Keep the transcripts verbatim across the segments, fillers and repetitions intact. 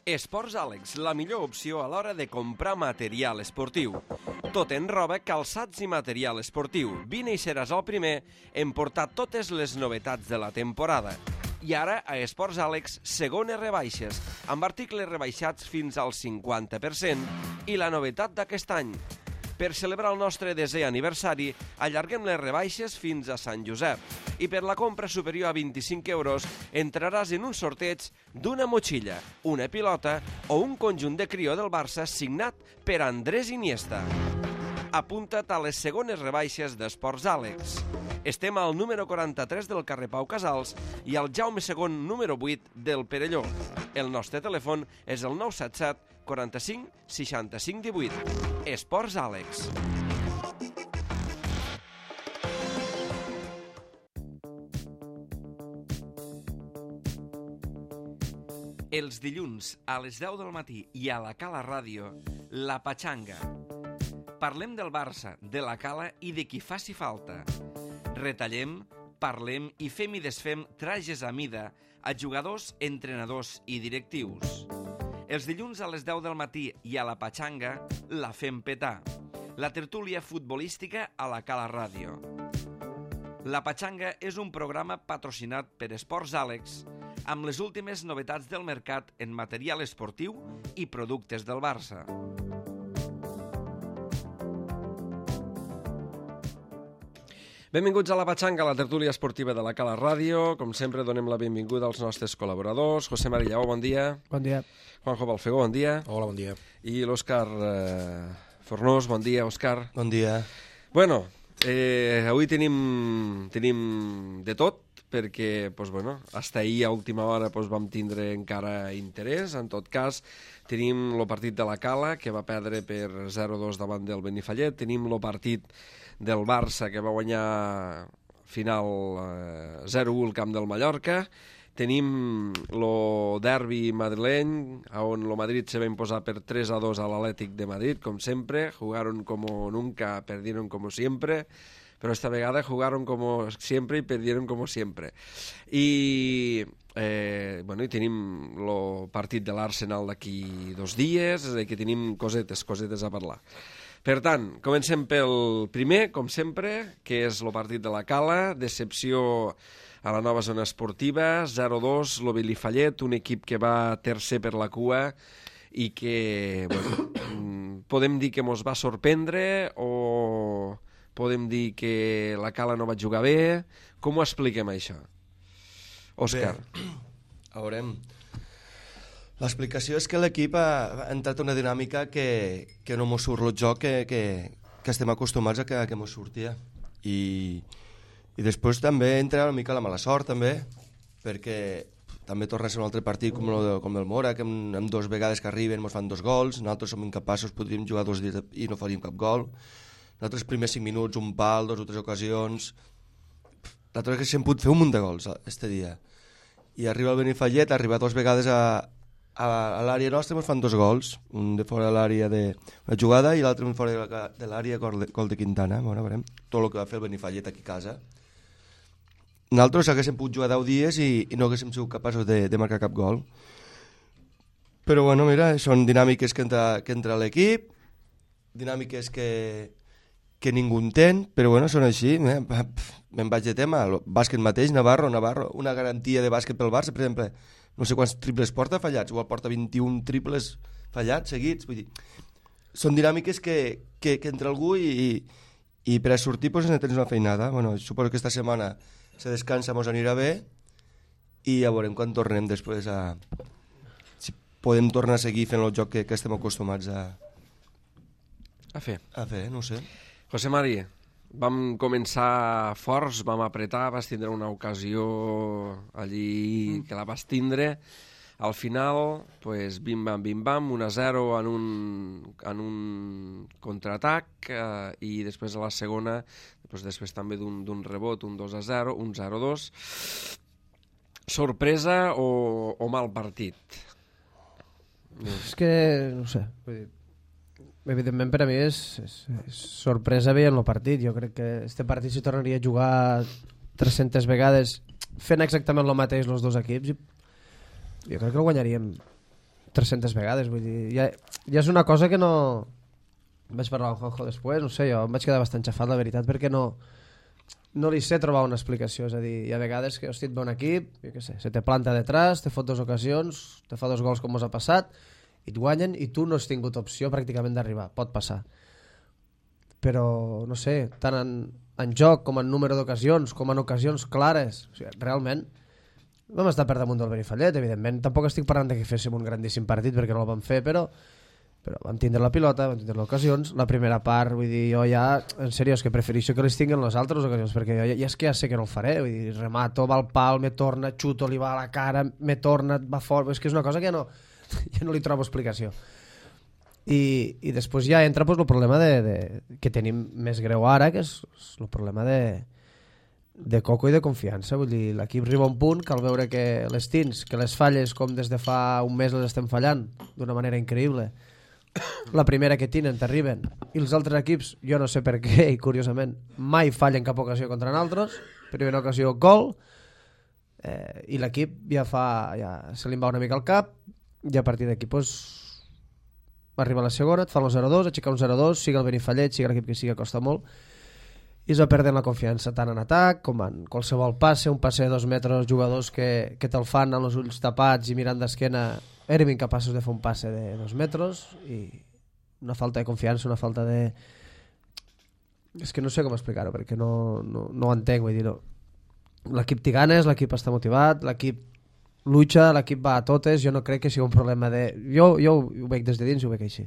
Esports Àlex, la millor opció a l'hora de comprar material esportiu. Tot en roba, calçats i material esportiu. Vine i seràs el primer en portar totes les novetats de la temporada. I ara, a Esports Àlex, segones rebaixes, amb articles rebaixats fins al cinquanta per cent i la novetat d'aquest any. Per celebrar el nostre desè aniversari, allarguem les rebaixes fins a Sant Josep. I per la compra superior a vint-i-cinc euros entraràs en un sorteig d'una motxilla, una pilota o un conjunt de crió del Barça signat per Andrés Iniesta. Apunta't a les segones rebaixes d'Esports Àlex. Estem al número quaranta-tres del carrer Pau Casals i al Jaume segon número vuit del Perelló. El nostre telèfon és el nou set set quaranta-cinc seixanta-cinc divuit. Esports Àlex. Els dilluns a les deu del matí i a la Cala Ràdio, La Patxanga. Parlem del Barça, de la Cala i de qui faci falta. Retallem, parlem i fem i desfem trajes a mida a jugadors, entrenadors i directius. Els dilluns a les deu del matí i a la Patxanga la fem petar. La tertúlia futbolística a la Cala Ràdio. La Patxanga és un programa patrocinat per Esports Àlex amb les últimes novetats del mercat en material esportiu i productes del Barça. Benvinguts a la Patxanga, la tertúlia esportiva de la Cala Ràdio. Com sempre, donem la benvinguda als nostres col·laboradors. José Mari Lleó, bon dia. Bon dia. Juanjo Balfegó, bon dia. Hola, bon dia. I l'Òscar eh, Fornós, bon dia, Òscar. Bon dia. Bueno, eh, avui tenim, tenim de tot, perquè pues, bueno, hasta ahir a última hora pues, vam tindre encara interès. En tot cas, tenim el partit de la Cala, que va perdre per zero dos davant del Benifallet. Tenim el partit del Barça, que va guanyar final eh, zero u al camp del Mallorca. Tenim el derbi madrileny, on el Madrid se va imposar per tres a dos a l'Atlètic de Madrid, com sempre. Jugaron como nunca, perdieron como siempre. Pero esta vegada jugaron como siempre y perdieron como siempre. I, eh, bueno, i tenim el partit de l'Arsenal d'aquí dos dies, és a dir, que tenim cosetes, cosetes a parlar. Per tant, comencem pel primer, com sempre, que és el partit de la Cala, decepció a la nova zona esportiva, zero dos, el Benifallet, un equip que va tercer per la cua i que, bueno, podem dir que mos va sorprendre o podem dir que la Cala no va jugar bé. Com ho expliquem, això? Òscar. Bé, a veurem. L'explicació és que l'equip ha entrat una dinàmica que, que no mos surt el joc que, que, que estem acostumats a que, a que mos sortia. I, I després també entra una mica la mala sort, també, perquè també torna a ser un altre partit com el, com el Mora, que amb, amb dos vegades que arriben mos fan dos gols, nosaltres som incapaços, podríem jugar dos dies i no faríem cap gol. Nosaltres primers cinc minuts, un pal, dos o tres ocasions. Nosaltres que s'hem pogut fer un munt de gols este dia. I arriba el Benifallet, arriba dos vegades a, a, a l'àrea nostra, ens fan dos gols, un de fora de l'àrea de la jugada i l'altre un fora de, de l'àrea, gol de, gol de Quintana. Bueno, veurem tot el que va fer el Benifallet aquí a casa. Nosaltres haguéssim pogut jugar deu dies i, i no haguéssim sigut capaços de, de marcar cap gol. Però bueno, mira, són dinàmiques que entra, que entra l'equip, dinàmiques que, que ningú entén, però bueno, són així. Eh? Me'n vaig de tema, el bàsquet mateix, Navarro, Navarro, una garantia de bàsquet pel Barça, per exemple, no sé quants triples porta fallats, igual porta vint-i-un triples fallats seguits, vull dir, són dinàmiques que, que, que entra algú i, i, i per a sortir pues, ne tens una feinada. Bueno, suposo que esta setmana se descansa, mos anirà bé i ja veurem quan tornem després a... si podem tornar a seguir fent el joc que, que estem acostumats a... a fer. A fer, no sé. José Mari, vam començar forts, vam apretar, vas tindre una ocasió allí que la vas tindre. Al final, pues, bim-bam, bim-bam, un a zero en un, en un contraatac eh, i després a la segona, pues, després també d'un, d'un rebot, un dos a zero, un zero dos. Sorpresa o, o mal partit? És que, no sé, vull dir, evidentment per a mi és, és, és sorpresa veient el partit. Jo crec que este partit s'hi tornaria a jugar tres-centes vegades fent exactament el mateix els dos equips i jo crec que el guanyaríem tres-centes vegades, vull dir, ja, ja és una cosa que no... Vaig parlar amb Juanjo després, no sé, jo em vaig quedar bastant xafat, la veritat, perquè no, no li sé trobar una explicació, és a dir, hi ha vegades que, hosti, et ve un equip, jo què sé, se te planta detrás, te fot dues ocasions, te fa dos gols com us ha passat, i et guanyen, i tu no has tingut opció pràcticament d'arribar, pot passar. Però, no sé, tant en, en joc com en número d'ocasions, com en ocasions clares, o sigui, realment, vam estar per damunt del Benifallet, evidentment, tampoc estic parlant de que féssim un grandíssim partit, perquè no el vam fer, però... però vam tindre la pilota, vam tindre les ocasions, la primera part, vull dir, jo ja, en sèrio, és que prefereixo que les tinguin les altres ocasions, perquè jo ja, ja és que ja sé que no el faré, vull dir, remato, va al pal, me torna, xuto, li va a la cara, me torna, va fort, és que és una cosa que ja no, ja no li trobo explicació. I, i després ja entra pues, el problema de, de, que tenim més greu ara, que és, és el problema de, de coco i de confiança, vull dir, l'equip arriba a un punt que al veure que les tins, que les falles com des de fa un mes les estem fallant d'una manera increïble, la primera que tenen t'arriben i els altres equips, jo no sé per què i curiosament, mai fallen cap ocasió contra nosaltres, primera ocasió gol, eh, i l'equip ja fa ja se li va una mica al cap i a partir d'aquí pues, arriba a la segona, et fan el zero dos, aixecar un zero dos, siga el Benifallet, siga l'equip que sigui, costa molt i es va perdent la confiança tant en atac com en qualsevol passe, un passe de dos metres, jugadors que, que te'l fan amb els ulls tapats i mirant d'esquena, érem incapaços de fer un passe de dos metres i una falta de confiança, una falta de... És que no sé com explicar-ho perquè no, no, no ho entenc, vull dir, no. L'equip té ganes, l'equip està motivat, l'equip lucha, l'equip va a totes, jo no crec que sigui un problema de... Jo, jo ho veig des de dins i ho veig així.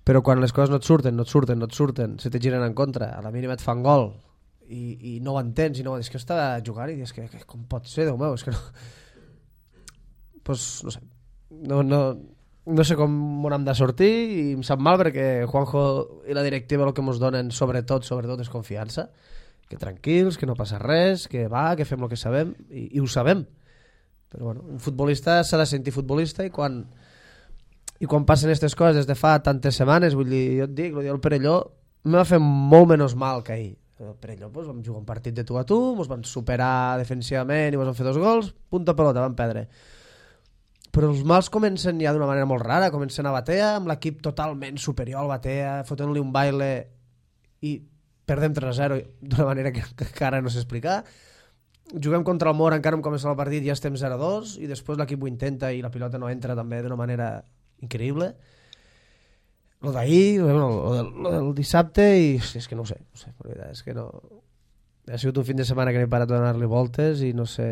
Però quan les coses no et surten, no et surten, no et surten, se te giren en contra, a la mínima et fan gol i, i no ho entens, i no ho és que està jugant i dius que, que com pot ser, Déu meu, és que no... Pues, no sé, no, no, no sé com on hem de sortir i em sap mal perquè Juanjo i la directiva el que ens donen sobretot, sobretot és confiança, que tranquils, que no passa res, que va, que fem el que sabem i, i ho sabem, però bueno, un futbolista s'ha de sentir futbolista i quan i quan passen aquestes coses des de fa tantes setmanes, vull dir, jo et dic, el Perelló m'ha fet molt menys mal que ahir. El Perelló pues, vam jugar un partit de tu a tu, ens van superar defensivament i ens van fer dos gols, punta pelota, van perdre. Però els mals comencen ja d'una manera molt rara, comencen a Batea, amb l'equip totalment superior al Batea, fotent-li un baile i perdem tres a zero d'una manera que, que encara no sé explicar. Juguem contra el Mora, encara hem començat el partit, ja estem zero a dos, i després l'equip ho intenta i la pilota no entra també d'una manera increïble. Lo d'ahir, bueno, lo, del, lo del dissabte, i és que no ho sé, no sé, la veritat és que no... Ha sigut un fin de setmana que no he parat de donar-li voltes i no sé,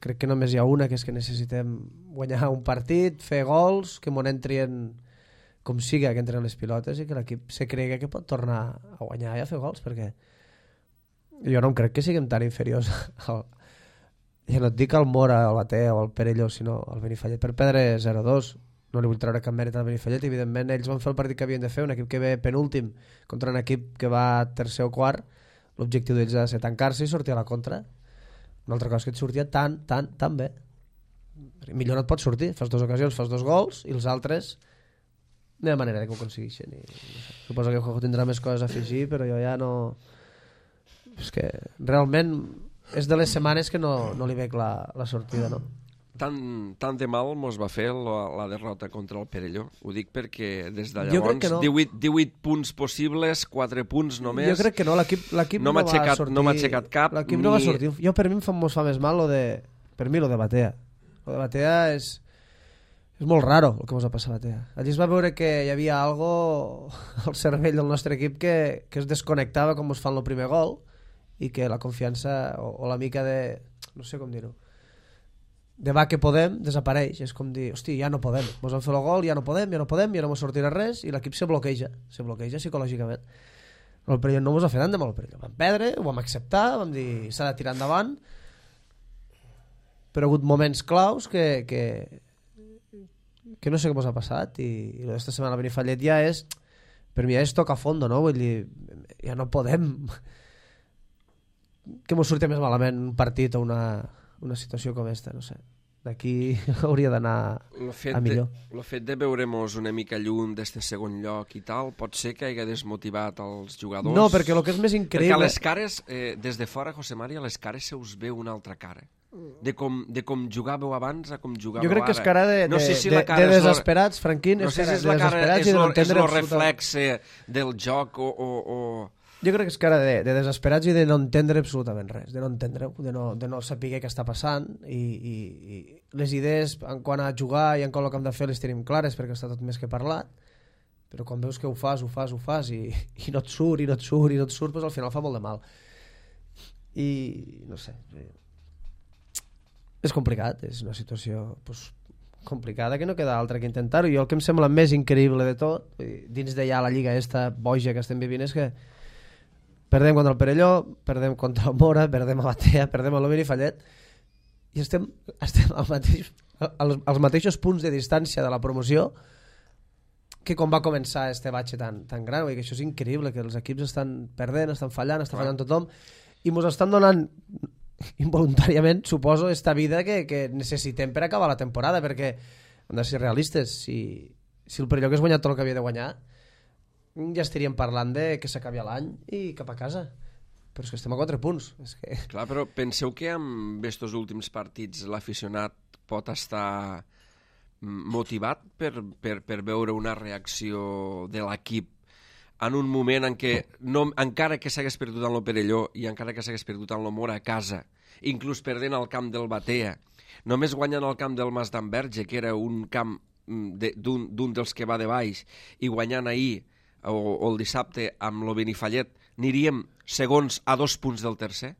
crec que només hi ha una, que és que necessitem guanyar un partit, fer gols, que m'on entrien com siga que entren les pilotes i que l'equip se cregui que pot tornar a guanyar i a fer gols, perquè jo no em crec que siguem tan inferiors al... ja no et dic al Mora, al Batea o al Perelló, sinó al Benifallet per perdre zero a dos. No li vull treure cap mèrit al Benifallet, evidentment ells van fer el partit que havien de fer, un equip que ve penúltim contra un equip que va tercer o quart. L'objectiu d'ells ha de ser tancar-se i sortir a la contra. Una altra cosa que et sortia tan, tan, tan bé. Millor no et pots sortir. Fas dues ocasions, fas dos gols i els altres no hi ha manera que ho aconsegueixen. I, no sé. Suposo que Juanjo tindrà més coses a afegir, però jo ja no... És que realment és de les setmanes que no, no li veig la, la sortida, no? Tant, tant de mal mos va fer la, la derrota contra el Perelló. Ho dic perquè des de llavors no. divuit, divuit punts possibles, quatre punts només. Jo crec que no, l'equip no, no va sortir. No m'ha aixecat cap. L'equip ni... no va sortir. Jo per mi em fa, mos fa més mal lo de... Per mi lo de Batea. Lo de Batea és... És molt raro el que mos ha passat a Batea. Allí es va veure que hi havia algo al cervell del nostre equip que, que es desconnectava com mos fan el primer gol i que la confiança o, o la mica de... No sé com dir-ho. De va que podem, desapareix. És com dir, hosti, ja no podem. Mos han fet el gol, ja no podem, ja no podem, ja no mos sortirà res, i l'equip se bloqueja, se bloqueja psicològicament. El Perelló no mos ha fet tant de mal el Perelló. Vam perdre, ho vam acceptar, vam dir, s'ha de tirar endavant, però ha hagut moments claus que, que, que no sé què mos ha passat, i, i aquesta setmana a Benifallet ja és, per mi ja és tocar a fondo, no? Vull dir, ja no podem que mos surti més malament un partit o una... una situació com esta, no sé. D'aquí hauria d'anar a millor. El fet de veure-mos una mica lluny d'este segon lloc i tal, pot ser que hagi desmotivat els jugadors? No, perquè el que és més increïble... Perquè a les cares, eh, des de fora, José María, a les cares se us veu una altra cara. de com, de com jugàveu abans a com jugàveu ara. Jo crec que és cara de, no sé de, si de, la cara de és desesperats, lo, Franquín, no és sé si cara és de la cara, desesperats és i de no lo, és entendre lo absolutament... reflexe del joc o... o, o... Jo crec que és cara de, de desesperats i de no entendre absolutament res, de no entendre, de no, de no saber què està passant i, i, i les idees en quant a jugar i en quant al que hem de fer les tenim clares perquè està tot més que parlat, però quan veus que ho fas, ho fas, ho fas i, i no et surt, i no et surt, i no et surt, doncs al final fa molt de mal. I no sé, és complicat, és una situació pues, complicada que no queda altra que intentar-ho. I el que em sembla més increïble de tot, dins de ja la lliga esta boja que estem vivint, és que perdem contra el Perelló, perdem contra el Mora, perdem a Batea, perdem a l'Ovini Fallet i estem, estem al mateix, als, als mateixos punts de distància de la promoció que quan va començar este batxe tan, tan gran. Vull dir que això és increïble, que els equips estan perdent, estan fallant, està fallant tothom i ens estan donant involuntàriament, suposo, esta vida que, que necessitem per acabar la temporada, perquè hem de ser realistes. Si, si el Perelló que has guanyat tot el que havia de guanyar, ja estaríem parlant de que s'acabi l'any i cap a casa. Però és que estem a quatre punts. És que... Clar, però penseu que amb estos últims partits l'aficionat pot estar motivat per, per, per veure una reacció de l'equip en un moment en què, no, encara que s'hagués perdut en el Perelló i encara que s'hagués perdut en el Mora a casa, inclús perdent al camp del Batea, només guanyant el camp del Mas d'Enverge, que era un camp d'un d'un dels que va de baix, i guanyant ahir o, o el dissabte amb l'Ovini Fallet, aniríem segons a dos punts del tercer?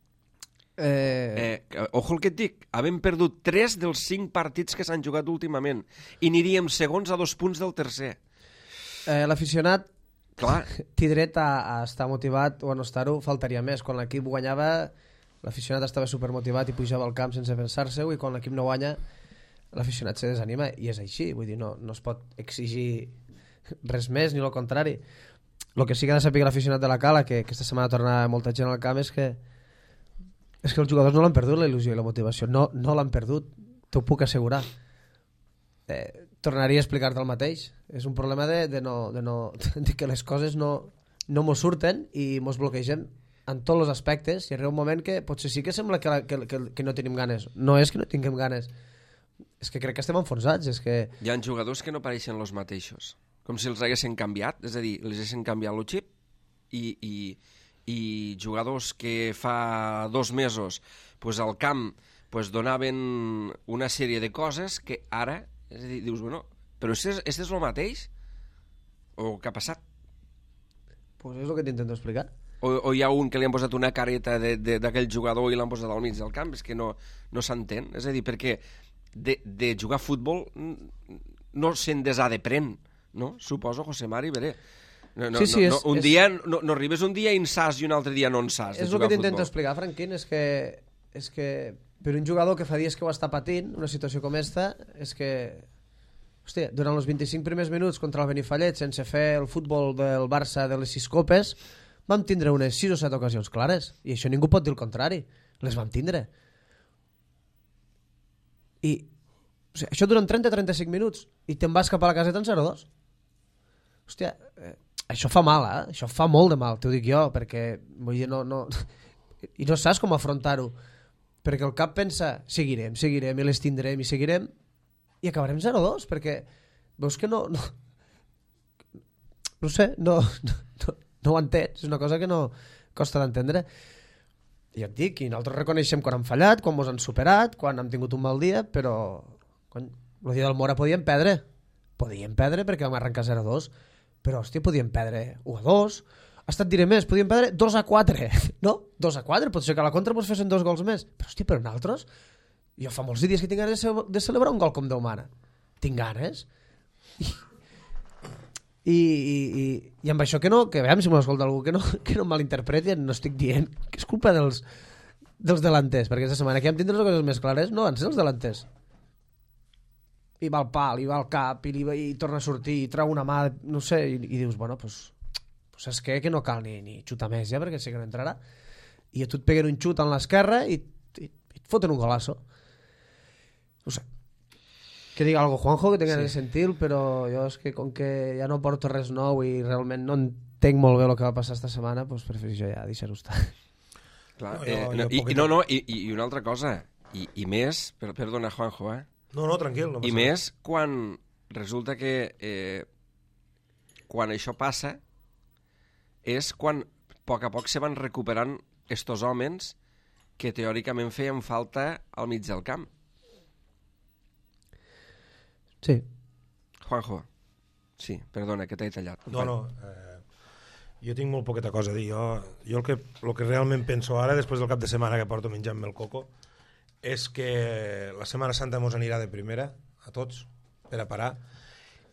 Eh... Eh, ojo el que et dic, havem perdut tres dels cinc partits que s'han jugat últimament i aniríem segons a dos punts del tercer. Eh, L'aficionat Clar. té dret a, a estar motivat o a no estar-ho, faltaria més. Quan l'equip guanyava, l'aficionat estava supermotivat i pujava al camp sense pensar-se-ho, i quan l'equip no guanya, l'aficionat se desanima, i és així. Vull dir, no, no es pot exigir res més, ni el contrari. El que sí que ha de saber l'aficionat de la Cala, que aquesta setmana torna molta gent al camp, és que és que els jugadors no l'han perdut, la il·lusió i la motivació. No, no l'han perdut, t'ho puc assegurar. Eh, tornaria a explicar-te el mateix. És un problema de, de, no, de, no, de que les coses no, no mos surten i mos bloquegen en tots els aspectes, i arriba un moment que potser sí que sembla que, que, que, que no tenim ganes. No és que no tinguem ganes, és que crec que estem enfonsats. És que... Hi ha jugadors que no pareixen els mateixos, com si els haguessin canviat, és a dir, els haguessin canviat el xip, i, i, i jugadors que fa dos mesos pues, al camp pues, donaven una sèrie de coses que ara, és a dir, dius, bueno, però este és, este és el mateix? O què ha passat? Pues és el que t'intento explicar. O, o hi ha un que li han posat una careta d'aquell jugador i l'han posat al mig del camp? És que no, no s'entén. És a dir, perquè de, de jugar a futbol no se'n desaprèn, no? Suposo, José Mari, veré. No, no, sí, sí, no, és, no, un és... dia no, no arribes un dia en sas i un altre dia no en sas. És el que t'intento explicar, Franquín, és que, és que per un jugador que fa dies que ho està patint, una situació com esta, és que, hòstia, durant els vint-i-cinc primers minuts contra el Benifallet, sense fer el futbol del Barça de les sis copes, vam tindre unes sis o set ocasions clares, i això ningú pot dir el contrari, les vam tindre. I o sigui, això duren trenta a trenta-cinc minuts i te'n vas cap a la caseta en zero dos. Hòstia, eh, això fa mal, eh? Això fa molt de mal, t'ho dic jo, perquè vull dir, no, no... i no saps com afrontar-ho, perquè el cap pensa, seguirem, seguirem, i les tindrem, i seguirem, i acabarem zero dos, perquè veus que no... No, no sé, no, no, no, no ho entens, és una cosa que no costa d'entendre. I et dic, i nosaltres reconeixem quan hem fallat, quan ens han superat, quan hem tingut un mal dia, però quan, el dia del Mora podíem perdre, podíem perdre perquè vam arrencar zero dos, però hòstia, podíem perdre u a dos, hasta et diré més, podíem perdre dos a quatre, no? dos a quatre, pot ser que a la contra ens fessin dos gols més, però hòstia, però nosaltres, jo fa molts dies que tinc ganes de celebrar un gol com Déu mana, tinc ganes, i, i, i, i amb això que no, que veiem si m'escolta algú, que no, que no malinterpreti, no estic dient que és culpa dels, dels delanters, perquè aquesta setmana que hem tindre les coses més clares, no van ser els delanters. I va al pal, i va al cap, i, li, i torna a sortir, i trau una mà, no sé, i, i dius, bueno, pues, pues és que, que no cal ni, ni xutar més ja, perquè sé que no entrarà. I a tu et peguen un xut en l'esquerra i, i, i et foten un golazo. No sé. Que diga algo Juanjo, que tinc ganes sí. de sentir, però jo és que com que ja no porto res nou i realment no entenc molt bé el que va passar esta setmana, pues prefereixo ja deixar-ho estar. Clar, no, eh, no, i, i, no, no, i, i una altra cosa, i, i més, per, perdona, Juanjo, eh? No, no, tranquil. No I més quan resulta que eh, quan això passa és quan a poc a poc se van recuperant estos homes que teòricament feien falta al mig del camp. Sí. Juanjo, sí, perdona, que t'he tallat. No, no, eh, jo tinc molt poqueta cosa a dir. Jo, jo el, que, el que realment penso ara, després del cap de setmana que porto menjant-me el coco, és que la Setmana Santa mos anirà de primera, a tots, per a parar,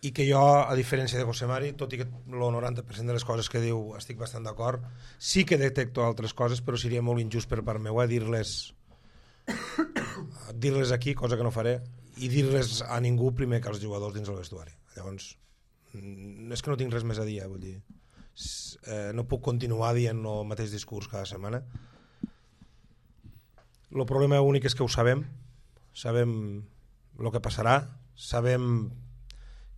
i que jo, a diferència de José Mari, tot i que el noranta per cent de les coses que diu estic bastant d'acord, sí que detecto altres coses, però seria molt injust per part meva dir-les dir-les aquí, cosa que no faré, i dir-les a ningú primer que als jugadors dins el vestuari. Llavors, és que no tinc res més a dir, eh, vull dir. Eh, no puc continuar dient el mateix discurs cada setmana. El problema únic és que ho sabem, sabem el que passarà, sabem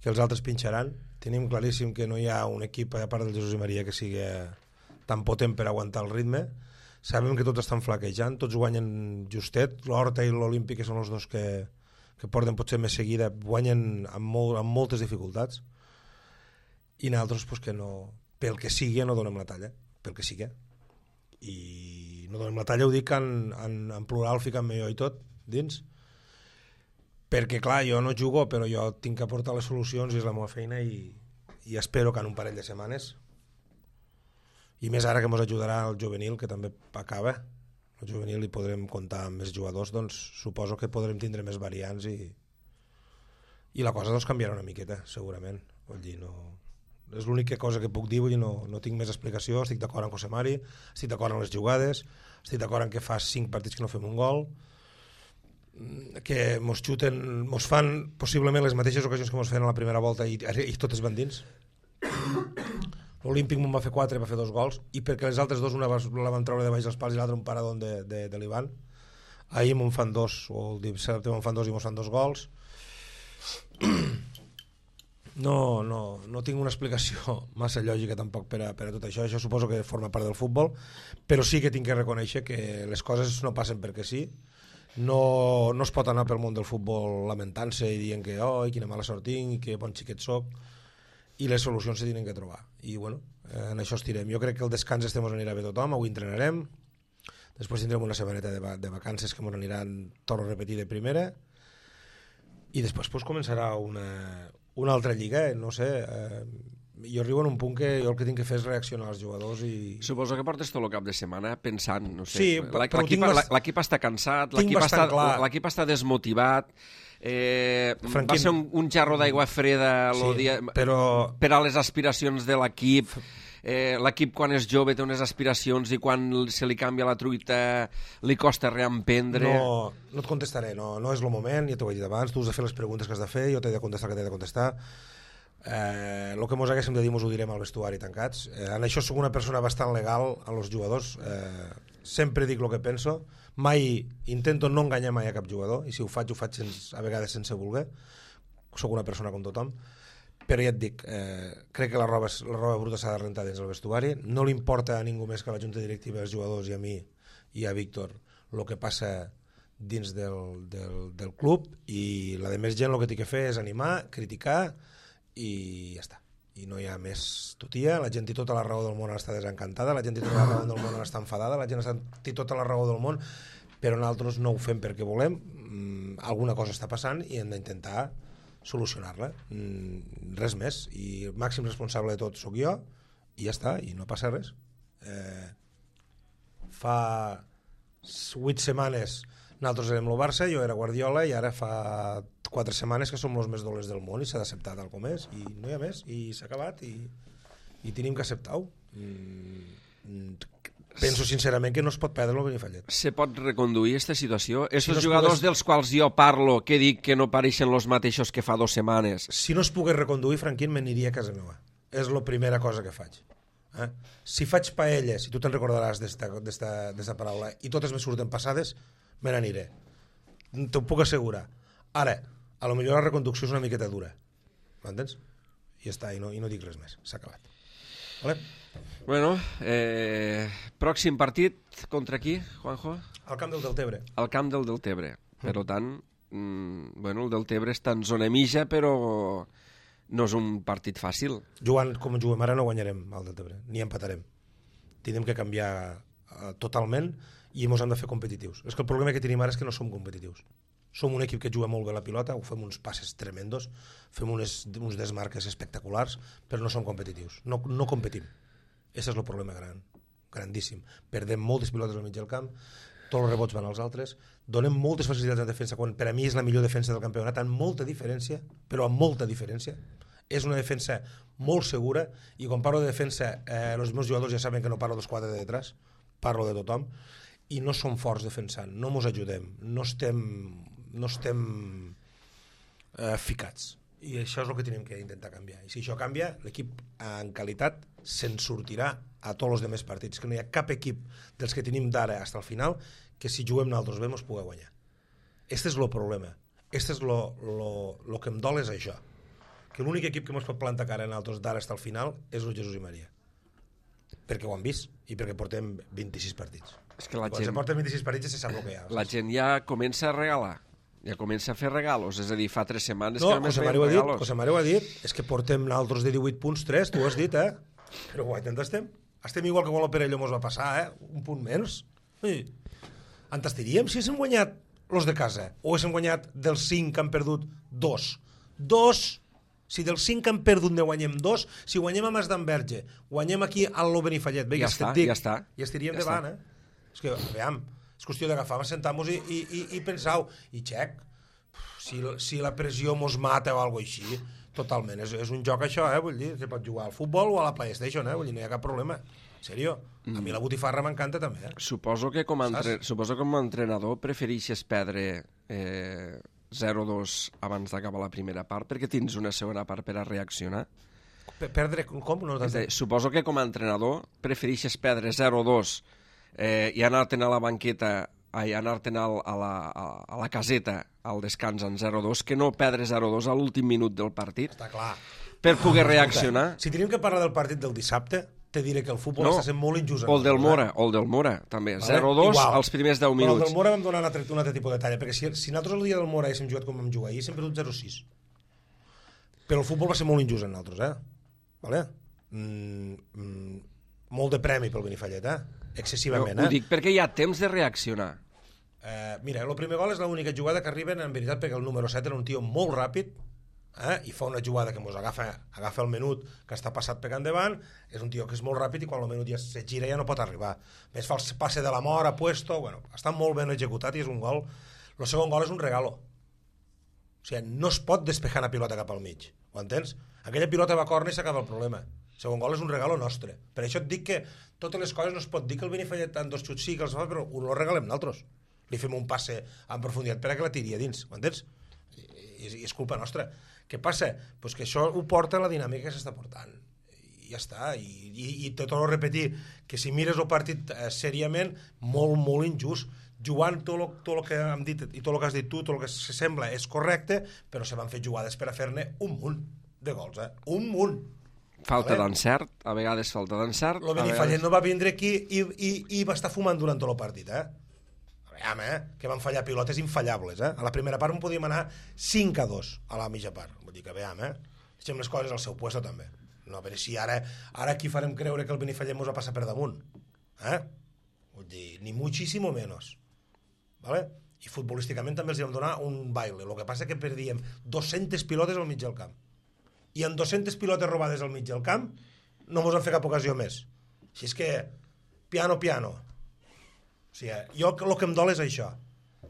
que els altres pinxaran, tenim claríssim que no hi ha un equip a part del Jesús i Maria que sigui tan potent per aguantar el ritme, sabem que tots estan flaquejant, tots guanyen justet, l'Horta i l'Olímpic, que són els dos que, que porten potser més seguida, guanyen amb, molt, amb moltes dificultats, i nosaltres pues, que no, pel que sigui no donem la talla, pel que sigui, i no donem la talla, ho dic en, en, en plural, ficant-me jo i tot dins, perquè clar, jo no jugo, però jo tinc que aportar les solucions i és la meva feina, i, i espero que en un parell de setmanes, i més ara que ens ajudarà el juvenil, que també acaba, el juvenil hi podrem comptar amb més jugadors, doncs suposo que podrem tindre més variants i, i la cosa doncs canviarà una miqueta, segurament. Vull dir, no... és l'única cosa que puc dir, vull dir, no, no tinc més explicació, estic d'acord amb José Mari, estic d'acord amb les jugades, estic d'acord en que fa cinc partits que no fem un gol, que mos xuten, mos fan possiblement les mateixes ocasions que mos feien a la primera volta i, i totes van dins. L'Olímpic me'n va fer quatre, va fer dos gols, i perquè les altres dos, una la van treure de baix dels pals i l'altra un paradón de, de, de l'Ivan. Ahir me'n fan dos, o el dissabte me'n fan dos i mos fan dos gols. No, no, no tinc una explicació massa lògica tampoc per a, per a tot això. Això suposo que forma part del futbol, però sí que tinc que reconèixer que les coses no passen perquè sí. No, no es pot anar pel món del futbol lamentant-se i dient que oh, quina mala sort tinc i que bon xiquet soc, i les solucions se tenen que trobar, i bueno, en això estirem. Jo crec que el descans este mos anirà bé tothom, avui entrenarem, després tindrem una setmaneta de, va de vacances que mos aniran, torno a repetir, de primera, i després pues, començarà una, una altra lliga, eh? No sé, eh, jo arribo en un punt que jo el que tinc que fer és reaccionar als jugadors i... Suposo que portes tot el cap de setmana pensant, no sé, sí, l'equip bast... està cansat, l'equip està, està desmotivat, eh, Franquín... va ser un, un jarro d'aigua freda sí, dia... però... per a les aspiracions de l'equip. Eh, l'equip quan és jove té unes aspiracions i quan se li canvia la truita li costa reemprendre. No, no et contestaré, no, no és el moment, ja t'ho he dit abans, tu has de fer les preguntes que has de fer, jo t'he de contestar el que t'he de contestar. Eh, el que mos haguéssim de dir mos ho direm al vestuari tancats. Eh, en això soc una persona bastant legal a los jugadors, eh, sempre dic el que penso, mai intento no enganyar mai a cap jugador, i si ho faig ho faig sense, a vegades sense voler, soc una persona com tothom, però ja et dic, eh, crec que la roba, la roba bruta s'ha de rentar dins el vestuari, no li importa a ningú més que a la junta directiva, als jugadors i a mi i a Víctor el que passa dins del, del, del club, i la de més gent el que té que fer és animar, criticar i ja està, i no hi ha més tutia. La gent té tota la raó del món, està desencantada, la gent té tota la raó del món, està enfadada, la gent té tota la raó del món, però nosaltres no ho fem perquè volem, mm, alguna cosa està passant i hem d'intentar solucionar-la, mm, res més, i el màxim responsable de tot sóc jo i ja està, i no passa res. eh, fa vuit setmanes nosaltres érem el Barça, jo era Guardiola, i ara fa quatre setmanes que som els més dolents del món i s'ha d'acceptar tal com és, i no hi ha més, i s'ha acabat, i, i tenim que acceptar-ho. Mm, penso sincerament que no es pot perdre el Benifallet. Se pot reconduir aquesta situació? Estos si no jugadors pogués... dels quals jo parlo, que dic que no pareixen els mateixos que fa dues setmanes... Si no es pogués reconduir, Franquín, me n'aniria a casa meva. És la primera cosa que faig. Eh? Si faig paelles, i tu te'n recordaràs d'esta paraula, i totes me surten passades, me n'aniré. T'ho puc assegurar. Ara, a lo millor la reconducció és una miqueta dura. M'entens? I ja està, i no, i no dic res més. S'ha acabat. Vale? Bueno, eh, pròxim partit contra qui, Juanjo? Al camp del Deltebre. Al camp del Deltebre. Per tant, mm, bueno, el Deltebre està en zona mitja, però no és un partit fàcil. Jugant com juguem ara no guanyarem al Deltebre, ni empatarem. Tindrem que canviar uh, totalment i ens hem de fer competitius. És que el problema que tenim ara és que no som competitius. Som un equip que juga molt bé la pilota, ho fem uns passes tremendos, fem unes, uns desmarques espectaculars, però no som competitius. No, no competim. Aquest és el problema gran, grandíssim. Perdem moltes pilotes al mig del camp, tots els rebots van als altres, donem moltes facilitats en defensa, quan per a mi és la millor defensa del campionat, amb molta diferència, però amb molta diferència. És una defensa molt segura, i quan parlo de defensa, eh, els meus jugadors ja saben que no parlo dels quatre de detrás, parlo de tothom, i no som forts defensant, no ens ajudem, no estem, no estem eh, ficats. I això és el que tenim que intentar canviar. I si això canvia, l'equip en qualitat se'n sortirà a tots els demés partits, que no hi ha cap equip dels que tenim d'ara fins al final que si juguem nosaltres bé ens pugui guanyar. Este és el problema. Este és lo, lo, lo que em dol és això. Que l'únic equip que ens pot plantar cara a nosaltres d'ara fins al final és el Jesús i Maria. Perquè ho han vist i perquè portem vint-i-sis partits. És que la Quan gent, se porten vint-i-sis partits ja se sap el que hi ha. la gent ja comença a regalar. Ja comença a fer regalos, és a dir, fa tres setmanes No, que només José veiem Mario ho ha dit, regalos. José Mario ho ha dit, és que portem nosaltres de divuit punts, tres, tu ho has dit, eh? Però guaitant estem. Estem igual que quan el Perelló mos va passar, eh? Un punt menys. Sí. En estaríem si haguéssim guanyat los de casa, o haguéssim guanyat dels cinc que han perdut dos. Dos! Si dels cinc que han perdut ne guanyem dos, si guanyem a Mas d'Enverge, guanyem aquí a l'O Benifallet, bé, Ja que està, et dic, ja està. i estaríem Ja davant, eh? És que, veiem, és qüestió d'agafar, sentar-nos i, i, i, i pensar, i xec, si, si la pressió mos mata o alguna així, totalment, és, és un joc això, eh? Vull dir, se pot jugar al futbol o a la PlayStation, eh? Vull dir, no hi ha cap problema. En sèrio, a mi la botifarra m'encanta també, eh? Suposo que com a, entre... Suposo que com a entrenador prefereixes perdre eh, zero dos abans d'acabar la primera part perquè tens una segona part per a reaccionar. Per perdre, com? No, És a dir, suposo que com a entrenador prefereixes perdre zero dos eh, i anar-te'n a la banqueta i anar-te'n a, a, la, a la caseta al descans en zero dos que no perdre zero dos a l'últim minut del partit està clar. per poder reaccionar. Si tenim que parlar del partit del dissabte, te diré que el futbol No, està sent molt injust. o el del Mora, o el del Mora, també. Vale? zero dos Igual. als primers deu Però el minuts. del Mora vam donar un altre, un altre tipus de talla, perquè si, si nosaltres el dia del Mora haguéssim jugat com vam jugar ahir, sempre perdut zero sis. Però el futbol va ser molt injust en nosaltres, eh? Vale? Mm, mm, molt de premi pel Benifallet, eh? Excessivament, Ho eh? dic perquè hi ha temps de reaccionar. Eh, mira, el primer gol és l'única jugada que arriben, en veritat, perquè el número set era un tio molt ràpid, eh? I fa una jugada que mos agafa, agafa el menut que està passat pegant davant, és un tio que és molt ràpid i quan el menut ja se gira ja no pot arribar. Més fa el passe de la mort a puesto, bueno, està molt ben executat i és un gol. El segon gol és un regalo. O sigui, no es pot despejar una pilota cap al mig, ho entens? Aquella pilota va a córner i s'acaba el problema. El segon gol és un regalo nostre. Per això et dic que totes les coses no es pot dir que el Benifallet en dos xuts sí que els fa, però ho regalem nosaltres. Li fem un passe en profunditat per a que la tiri a dins, ho entens? I, i, i és culpa nostra. Què passa? Pues que això ho porta a la dinàmica que s'està portant. I ja està. I, i, i te torno a repetir que si mires el partit eh, seriament, molt, molt injust. Jugant tot el, tot el que hem dit i tot el que has dit tu, tot el que se sembla és correcte, però se van fer jugades per a fer-ne un munt de gols, eh? Un munt. Falta Vale? d'encert, a vegades falta d'encert. El Benifallet no va vindre aquí i, i, i va estar fumant durant tot el partit, eh? Aviam, eh? Que van fallar pilotes infallables, eh? A la primera part en podíem anar cinc a dos a la mitja part. Vull dir que, aviam, eh? Deixem les coses al seu puesto, també. No, a veure si ara, ara aquí farem creure que el Benifallet mos va passar per damunt. Eh? Vull dir, ni muchísimo menos. Vale? I futbolísticament també els vam donar un baile. El que passa que perdíem dues-centes pilotes al mig del camp. I amb dues-centes pilotes robades al mig del camp no mos han fet cap ocasió més. Així és que, piano, piano. O sigui, jo el que em dol és això,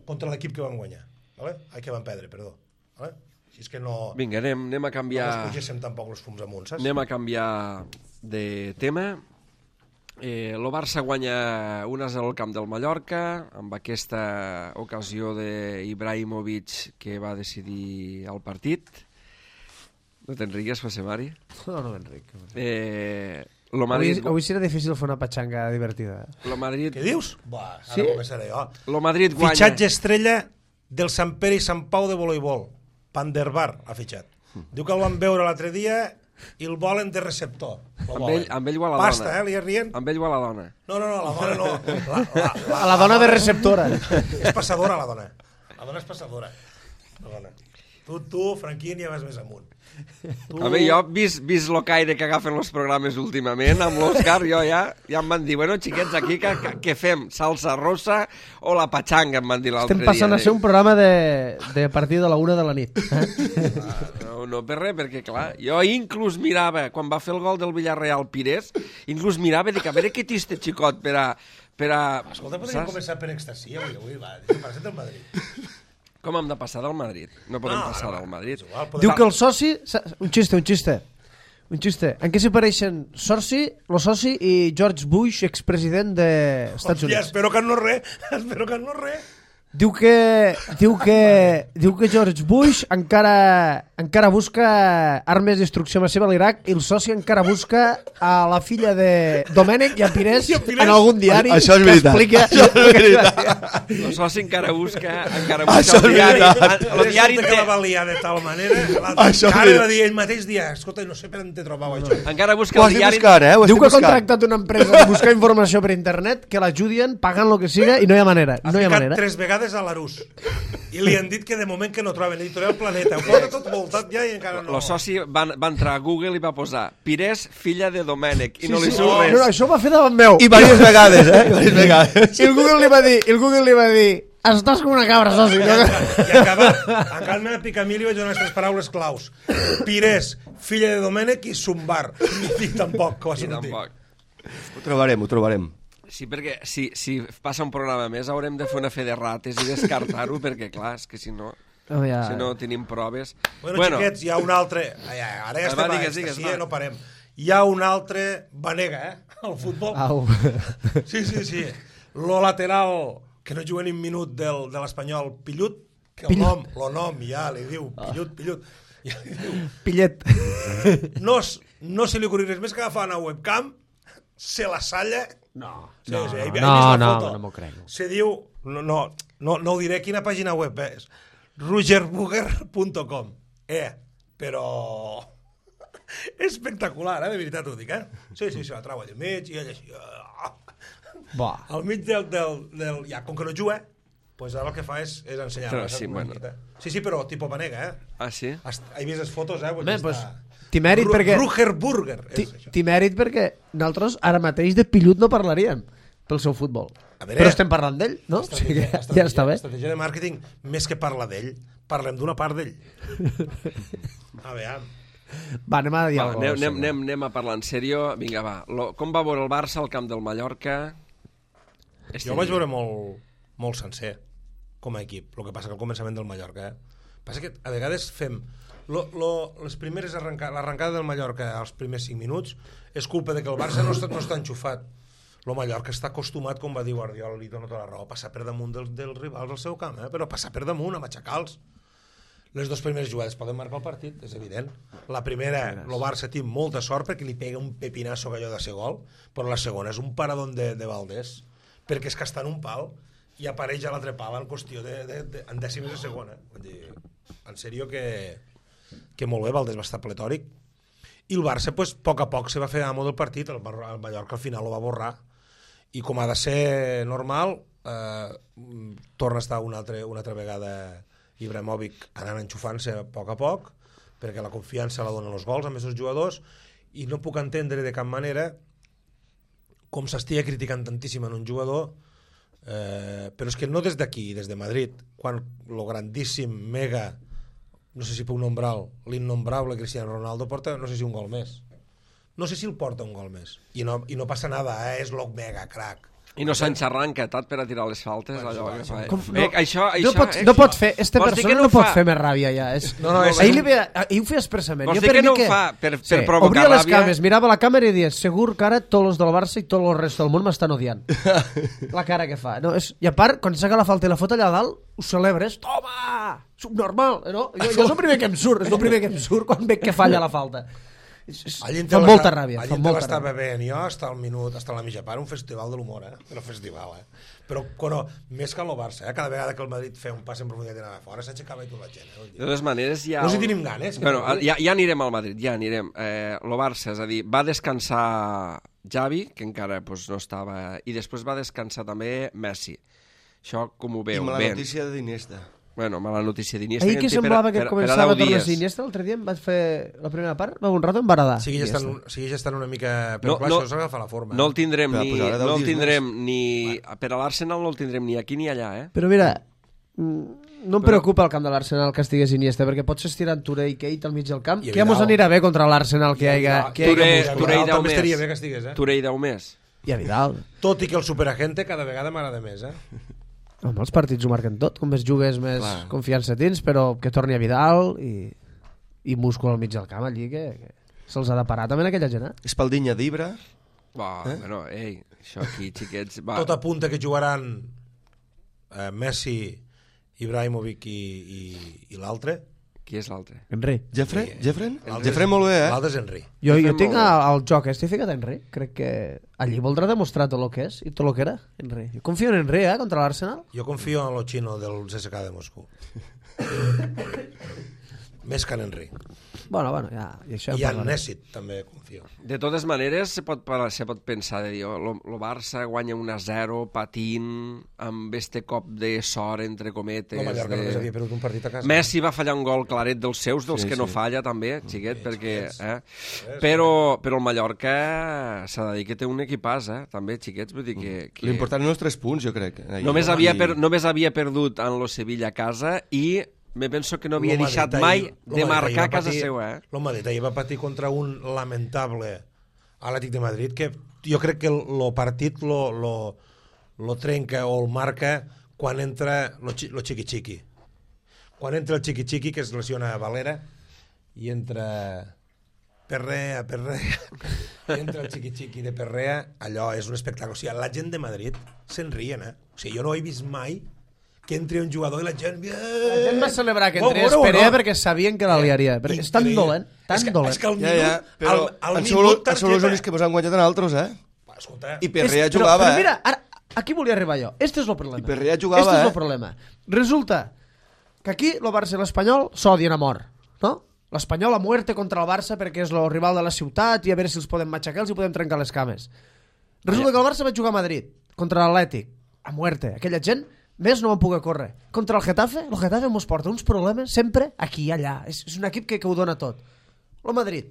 contra l'equip que vam guanyar. Vale? Ai, que vam perdre, perdó. Vale? Així és que no... Vinga, anem, anem a canviar... No ens pugéssim tampoc els fums amunt, saps? Anem a canviar de tema. Eh, el Barça guanya un a zero al camp del Mallorca, amb aquesta ocasió d'Ibrahimovic que va decidir el partit. No te'n rigues, José Mari? No, no m'enric. Eh, lo Avui, Madrid... avui serà difícil fer una patxanga divertida. Lo Madrid... Què dius? Bah, ara Sí? començaré jo. Lo Madrid guanya... Fitxatge estrella del Sant Pere i Sant Pau de voleibol. Panderbar ha fitxat. Diu que el van veure l'altre dia i el volen de receptor. Amb ell, amb ell o a la Pasta, dona? eh, li rient. Amb ell o a la dona? No, no, no, la dona no. La, la, la, A la dona de receptora. És passadora, la dona. La dona és passadora. La dona. Tu, tu, Franquín, ja vas més amunt. Tu... A veure, jo, vist, vist lo caire que agafen els programes últimament, amb l'Òscar, jo ja, ja em van dir, bueno, xiquets, aquí que, que, què fem? Salsa rosa o la patxanga, em van dir l'altre dia. Estem passant a ser un programa de, de partir de la una de la nit. Eh? Ah, no, no per res, perquè clar, jo inclús mirava, quan va fer el gol del Villarreal Pires, inclús mirava, dic, a veure què té este xicot per a... Per a Escolta, podríem començar per extasi avui, avui, va, passat el Madrid. Com hem de passar del Madrid? No podem No, passar no, del Madrid. igual, podem- Diu que el soci... Un xiste, un xiste. Un xiste. En què s'hi pareixen soci, lo soci i George Bush, expresident dels Estats Hòstia, Units? espero que no res, espero que no res. Diu que, diu que, diu que George Bush encara, encara busca armes de destrucció massiva a l'Iraq i el soci encara busca a la filla de Domènec i a Pires en algun diari Això és que veritat. explica... Això és veritat. El soci encara busca, encara Això busca el és diari. veritat. El diari Resulta que la té, va liar de tal manera, l'altre Això cara és va dir ell mateix dia, escolta, no sé per on te trobau això. encara busca Ho el estic diari... buscant, eh? Ho Diu estic que ha buscant. contractat una empresa de buscar informació per internet que l'ajudien pagant lo que siga i no hi ha manera. Ha No hi ha ficat manera. tres vegades a l'Arús i li han dit que de moment que no troben editorial Planeta, ho porta tot voltat ja i encara no. El soci va, va entrar a Google i va posar Pires, filla de Domènec, i no li sí. surt No, res. no, això ho va fer davant meu. I diverses vegades, eh? Diverses vegades. I el Google li va dir, i el Google li va dir, estàs com una cabra, soci. I ha acabat, encara me la pica a mi li vaig donar aquestes paraules claus. Pires, filla de Domènec i Sumbar. I tampoc, que va I sortir. tampoc. Ho trobarem, ho trobarem. Sí, perquè si, si passa un programa més haurem de fer una fe de rates i descartar-ho, perquè clar, és que si no, Oh, ja. si no tenim proves... Bueno, bueno, xiquets, hi ha un altre... Ai, ai, ara ja estem va, a digues, digues, sí, va. no parem. Hi ha un altre Vanega, eh? Al futbol. Au. Sí, sí, sí. Lo lateral, que no juga ni un minut del, de l'espanyol, Pillut, que el nom, lo nom ja li diu, Pillut, Pillut. Ja li diu. Pillet. No, s- no se li ocorri res més que agafar una webcam, se la salla... No, Sí, no, sí, no, he vist no, la no, foto. no m'ho crec. Se diu... No, no, no, no ho diré quina pàgina web és. rogerburger punt com. Eh, però... Espectacular, eh? De veritat ho dic, eh? Sí, sí, se la trau allà al mig i ell així... ah. Ba. Al mig del, del, del... Ja, com que no juga, pues ara el que fa és, és ensenyar Però sí, bueno. Sí, sí, però tipus Vanega, eh? Ah, sí? Hast, he vist les fotos, eh? Bé, pues, t'hi mèrit Ru perquè... Rugerburger. T'hi és això. t'hi mèrit perquè nosaltres ara mateix de Pillut no parlaríem pel seu futbol. A veure, Però estem parlant d'ell, no? O sigui que ja està bé. Estratègia de màrqueting, més que parla d'ell, parlem d'una part d'ell. A veure, Va, anem a dir Va, alguna anem, cosa. anem, anem, anem a parlar en sèrio. Vinga, va. Lo, com va veure el Barça al camp del Mallorca? Este jo el vaig dia. veure molt, molt sencer, com a equip. El que passa que al començament del Mallorca, eh? Passa que a vegades fem... Lo, lo, les primeres arrenca, l'arrencada del Mallorca als primers cinc minuts és culpa de que el Barça no està, no està enxufat. El Mallorca està acostumat, com va dir Guardiola, li dona tota la raó, a passar per damunt dels, dels rivals al seu camp, eh? Però passar per damunt, a matxacar-los. Les dues primeres jugades poden marcar el partit, és evident. La primera, el Barça té molta sort perquè li pega un pepinasso allò de ser gol, però la segona és un paradón de, de Valdés, perquè és que està en un pal i apareix a l'altre pal en qüestió de, de, de, en dècimes de segona. Vull dir, en sèrio que, que molt bé, Valdés va estar pletòric. I el Barça, pues, a poc a poc se va fer amo del partit, el, el Mallorca al final ho va borrar, i com ha de ser normal, eh, torna a estar una altra, una altra vegada Ibrahimovic anant enxufant-se a poc a poc, perquè la confiança la donen els gols amb aquests jugadors, i no puc entendre de cap manera com s'estigui criticant tantíssim en un jugador, eh, però és que no des d'aquí, des de Madrid, quan lo grandíssim, mega, no sé si puc nombrar-lo, l'innombrable Cristiano Ronaldo porta, no sé si un gol més. No sé si el porta un gol més. I no, i no passa nada, eh? És lo mega crack. I no s'enxarrar encatat per a tirar les faltes, Bueno, allò sí, que sí. fa. Com, Eh, això, això, no, pot, eh, no pot fer, este Vols dir persona que no, no pot fa- fer més ràbia ja. És, No, no, és- ahir, li ve, ahir ho feia expressament. Vols Jo dir per que mi no ho fa per- per provocar obria les ràbia? cames, mirava la càmera i dies, segur que ara tots els del Barça i tot el resto del món m'estan odiant. La cara que fa. No, és, I a part, quan saca la falta i la fot allà dalt, ho celebres, toma, subnormal. No? Jo, jo és el primer que em surt, és el primer que em surt quan veig que falla la falta. Fa molta ràbia. Allí te l'estava veient jo, hasta el minut, hasta la mitja part, un festival de l'humor, eh? Però festival, eh? Però, bueno, més que el Barça, eh? Cada vegada que el Madrid feia un pas en profunditat i anava fora, s'aixecava i tota la gent, eh? De totes maneres, ja... No si tenim ganes. Bueno, ja, ja anirem al Madrid, ja anirem. Eh, el Barça, és a dir, va descansar Xavi, que encara pues, no estava... I després va descansar també Messi. Això com ho veu? I mala ben. notícia d'Iniesta. Bueno, mala notícia d'Iniesta. Ahir que semblava per, que per, començava a tornar Iniesta, l'altre dia em vaig fer la primera part, va un rato en Baradà. Sigui ja estan, sigui ja estan una mica... Però no, clar, no, això s'agafa la forma. No el tindrem, ni, no el tindrem ni... Per a l'Arsenal no el tindrem ni aquí ni allà, eh? Però mira, no em preocupa el camp de l'Arsenal que estigués Iniesta, perquè pots estirar en Touré i Keita al mig del camp, que ja mos anirà bé contra l'Arsenal que hi hagi... Touré i deu més. Touré i deu més. I a Vidal. Tot i que el superagente cada vegada m'agrada més, eh? Home, els partits ho marquen tot, com més jugues més Clar. Confiança tens, però que torni a Vidal i, i múscul al mig del camp allí, que, que se'ls ha de parar també en aquella gent, eh? Espaldinya d'Ibra. Va, eh? Bueno, ei, això aquí, xiquets... Va. Tot apunta que jugaran eh, Messi, Ibrahimovic i, i, i l'altre. Qui és l'altre? Henry. Jeffrey? Jeffrey? Jeffrey molt bé, eh? L'altre és Henry. Jo, jo tinc el joc, estic ficat a Henry. Crec que allí voldrà demostrar tot el que és i tot el que era, Henry. Jo confio en Henry, eh, contra l'Arsenal. Jo confio en lo xino del C S K de Moscou. Més que en Henry. Bueno, bueno, ja... I, això I en Nessit també confio. De totes maneres, se pot, se pot pensar de dir, el oh, Barça guanya un a zero, patint, amb este cop de sort, entre cometes. No, Mallorca de... només havia perdut un partit a casa. Messi va fallar un gol claret dels seus, dels sí, que sí. no falla també, xiquet, sí, perquè... Eh? Però, però el Mallorca s'ha de dir que té un equipàs, eh? també, xiquets, vull dir que... que... L'important eren els tres punts, jo crec. Només havia, per, només havia perdut en lo Sevilla a casa i... Me penso que no havia deixat mai de marcar a casa seva. Eh? El Madrid ahir va patir contra un lamentable Atlètic de Madrid que jo crec que el partit lo, lo, lo trenca o el marca quan entra lo, lo xiqui-xiqui. Quan entra el xiqui-xiqui, que es lesiona a Valera, i entra Perrea, Perrea, entra el xiqui-xiqui de Perrea, allò és un espectacle. O sigui, la gent de Madrid se'n rien, eh? O sigui, jo no he vist mai que entri un jugador i la gent... La gent va celebrar que entrés Perea no? perquè sabien que la liaria. Perquè és tan dolent, tan és que, dolent. És que al minut... Ja, ja, però al, al minut targeta... són els únics que mos han guanyat en altres, eh? Escolta... I Perrea és, jugava, però, però eh? mira, ara, aquí volia arribar jo. Este és el problema. I Perrea jugava, este és el eh? problema. Resulta que aquí el Barça i l'Espanyol s'odien a mort, no? L'Espanyol a muerte contra el Barça perquè és el rival de la ciutat i a veure si els podem matxacar, els hi podem trencar les cames. Resulta que el Barça va jugar a Madrid contra l'Atlètic, a muerte. Aquella gent... Més no van poder córrer. Contra el Getafe, el Getafe mos porta uns problemes sempre aquí i allà. És, és un equip que, que ho dona tot. El Madrid,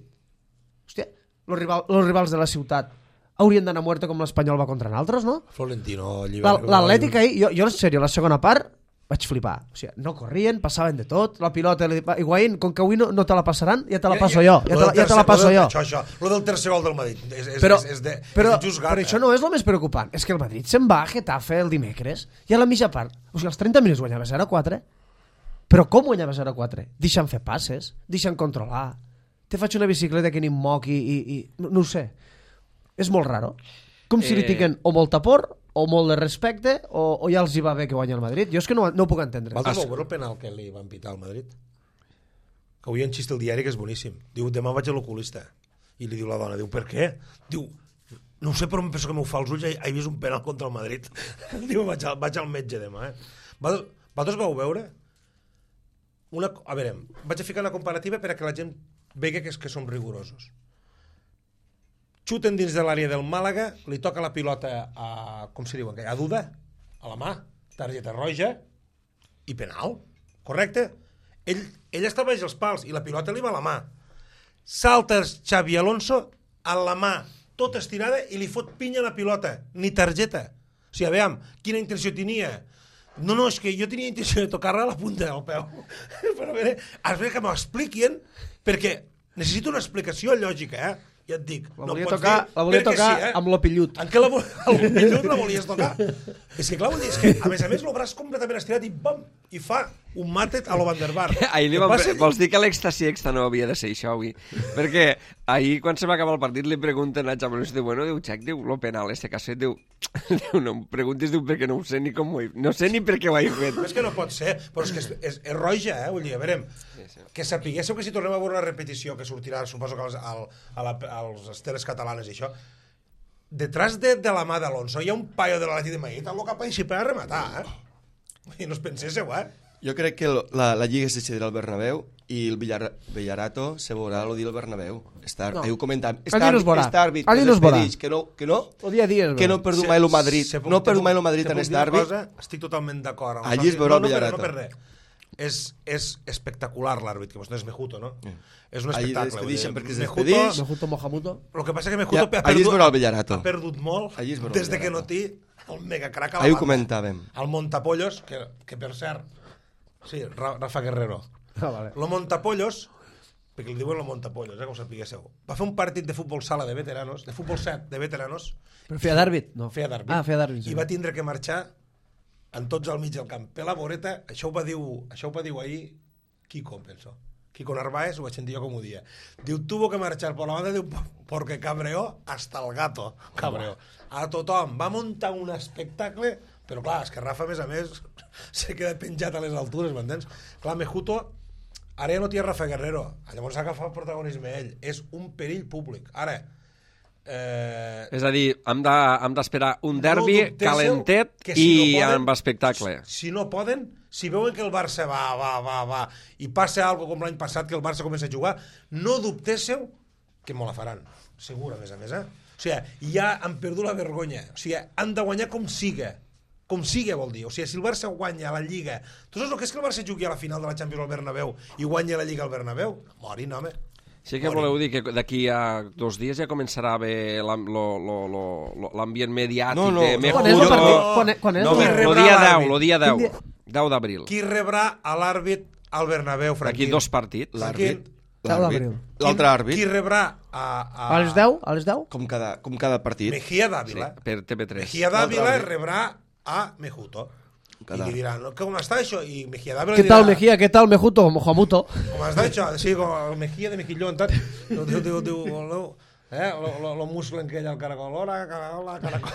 hòstia, els rival, rivals de la ciutat haurien d'anar a muerte com l'Espanyol va contra nosaltres, no? Florentino... L'Atlètic ahir, jo, jo en sèrio, la segona part vaig flipar. O sigui, no corrien, passaven de tot, la pilota, Higuaín, com que avui no, no te la passaran, ja te la passo jo. Ja te la, ja te la passo jo. Això, això. Lo del tercer gol del Madrid. És, és, però, és, és de, però, és de just gat, però això no és el més preocupant. És que el Madrid se'n va a Getafe el dimecres i a la mitja part, o sigui, als trenta minuts guanyava zero a quatre. Però com guanyava zero a quatre? Deixa'm fer passes, deixa'm controlar. Te faig una bicicleta que ni em moc i, i, i... No, no ho sé. És molt raro. Com si eh... li tinguen o molta por o molt de respecte, o, o ja els hi va bé que guanya el Madrid. Jo és que no, no ho puc entendre. Vosaltres vau veure el penal que li van pitar al Madrid? Que avui en xist el diari que és boníssim. Diu, demà vaig a l'oculista. I li diu la dona, diu, per què? Diu, no ho sé, però em penso que m'ho fa els ulls, he vist un penal contra el Madrid. Diu, vaig al, vaig al metge demà. Eh? Vosaltres vau veure? Una, a veure, vaig a ficar una comparativa per a que la gent vegi que, que som rigorosos. Xuten dins de l'àrea del Màlaga, li toca la pilota a, com se diu, a Duda, a la mà, targeta roja i penal, correcte? Ell, ell està baix els pals i la pilota li va a la mà. Salta Xavi Alonso a la mà, tota estirada, i li fot pinya a la pilota, ni targeta. O sigui, aviam, quina intenció tenia? No, no, és que jo tenia intenció de tocar-la a la punta del peu. Però a veure, has de que m'ho expliquin, perquè necessito una explicació lògica, eh? Ja et dic, la no volia pots tocar, dir... La volia tocar sí, eh? amb l'opillut. En què la, l'opillut la volies tocar? És que clar, és que a més a més el braç completament estirat i bam, i fa, un màtet a lo Van der Bar. Ahir li vam... Vols dir que l'extasi extra no havia de ser això avui? Perquè ahir, quan se va acabar el partit, li pregunten a Champions, diu, bueno, diu, Xac, diu, lo penal este que has fet, diu, diu, no em preguntis, diu, perquè no ho sé ni com ho he... No sé ni per què ho he fet. És que no pot ser, però és que és, és, és roja, eh? Vull dir, a veure, sí, sí. Que sapiguéssiu que si tornem a veure una repetició que sortirà, suposo que als, al, a la, als teles catalanes i això, detrás de, de la mà d'Alonso hi ha un paio de l'Atlètic de Madrid, el cap així per a rematar, eh? I no us penséssiu, eh? Jo crec que la, la Lliga es decidirà al Bernabéu i el Villar, Villarato se veurà el dia al Bernabéu. Està, no. Heu comentat, està àrbit, està àrbit que no s'expedix, que no, que no, dia dia, que no perdu mai el Madrid, se, se no perdu mai el Madrid en este àrbit. Estic totalment d'acord. Allí es veurà el Villarato. No, no, no per res. És, és espectacular l'àrbit, que vostè és Mejuto, no? Mm. És un espectacle. Allí es despedixen perquè es despedix. Mejuto, Mohamuto. El que passa que Mejuto ja, ha, perdut, ha perdut molt des de que no té el megacrac a la banda. Ahir ho comentàvem. El Montapollos, que, que per cert, sí, Rafa Guerrero. Ah, vale. Lo Montapollos, perquè li diuen lo Montapollos, eh, com sapiguéssiu, va fer un partit de futbol sala de veteranos, de futbol set de veteranos. Però feia d'àrbit? No. Feia d'àrbit. Ah, feia d'àrbit. Sí. I va tindre que marxar en tots al mig del camp. Per la voreta, això ho va dir, això ho va dir ahir Kiko, penso. Kiko Narváez, ho vaig sentir jo com ho dia. Diu, tuvo que marxar por la banda, diu, porque cabreó hasta el gato. Cabreó. A tothom. Va muntar un espectacle, però clar, és que Rafa, a més a més, se queda penjat a les altures, m'entens? Clar, Mejuto, ara ja no té Rafa Guerrero. Llavors s'ha agafat el protagonisme ell. És un perill públic. Ara, Eh... és a dir, hem d'esperar de, un derbi no calentet si i no poden, amb espectacle. Si no poden, si veuen que el Barça va, va, va, va, i passa alguna com l'any passat, que el Barça comença a jugar, no dubtéssiu que me la faran. Segur, a més a més, eh? O sigui, ja han perdut la vergonya. O sigui, han de guanyar com siga. Com siga, vol dir. O sigui, si el Barça guanya la Lliga... Tu saps el que és que el Barça jugui a la final de la Champions al Bernabéu i guanya la Lliga al Bernabéu? Morin, home. Sí que voleu dir que d'aquí a dos dies ja començarà a haver l'ambient mediàtic no, no, de no. Quan és el partit? Quan és? Quan és? No, el dia deu, el dia deu, deu d'abril. Qui rebrà a l'àrbit al Bernabéu, Franquín? D'aquí dos partits. L'àrbit. L'altre àrbit. Qui rebrà a... A, a les deu? A les deu? Com cada, com cada partit. Mejía Dávila. Sí, per T V tres. Mejía Dávila rebrà a Mejuto. Cada. I li diran, com està això? I Mejía Dávila ¿Qué dirà, tal Mejía? ¿Qué tal Mejuto? Mohamuto. Com està això? Sí, com el Mejía de Mejillón, tal. Diu, diu, diu, diu, diu eh, lo, lo, lo musclen que ella al caracol. Hola, hola, caracol.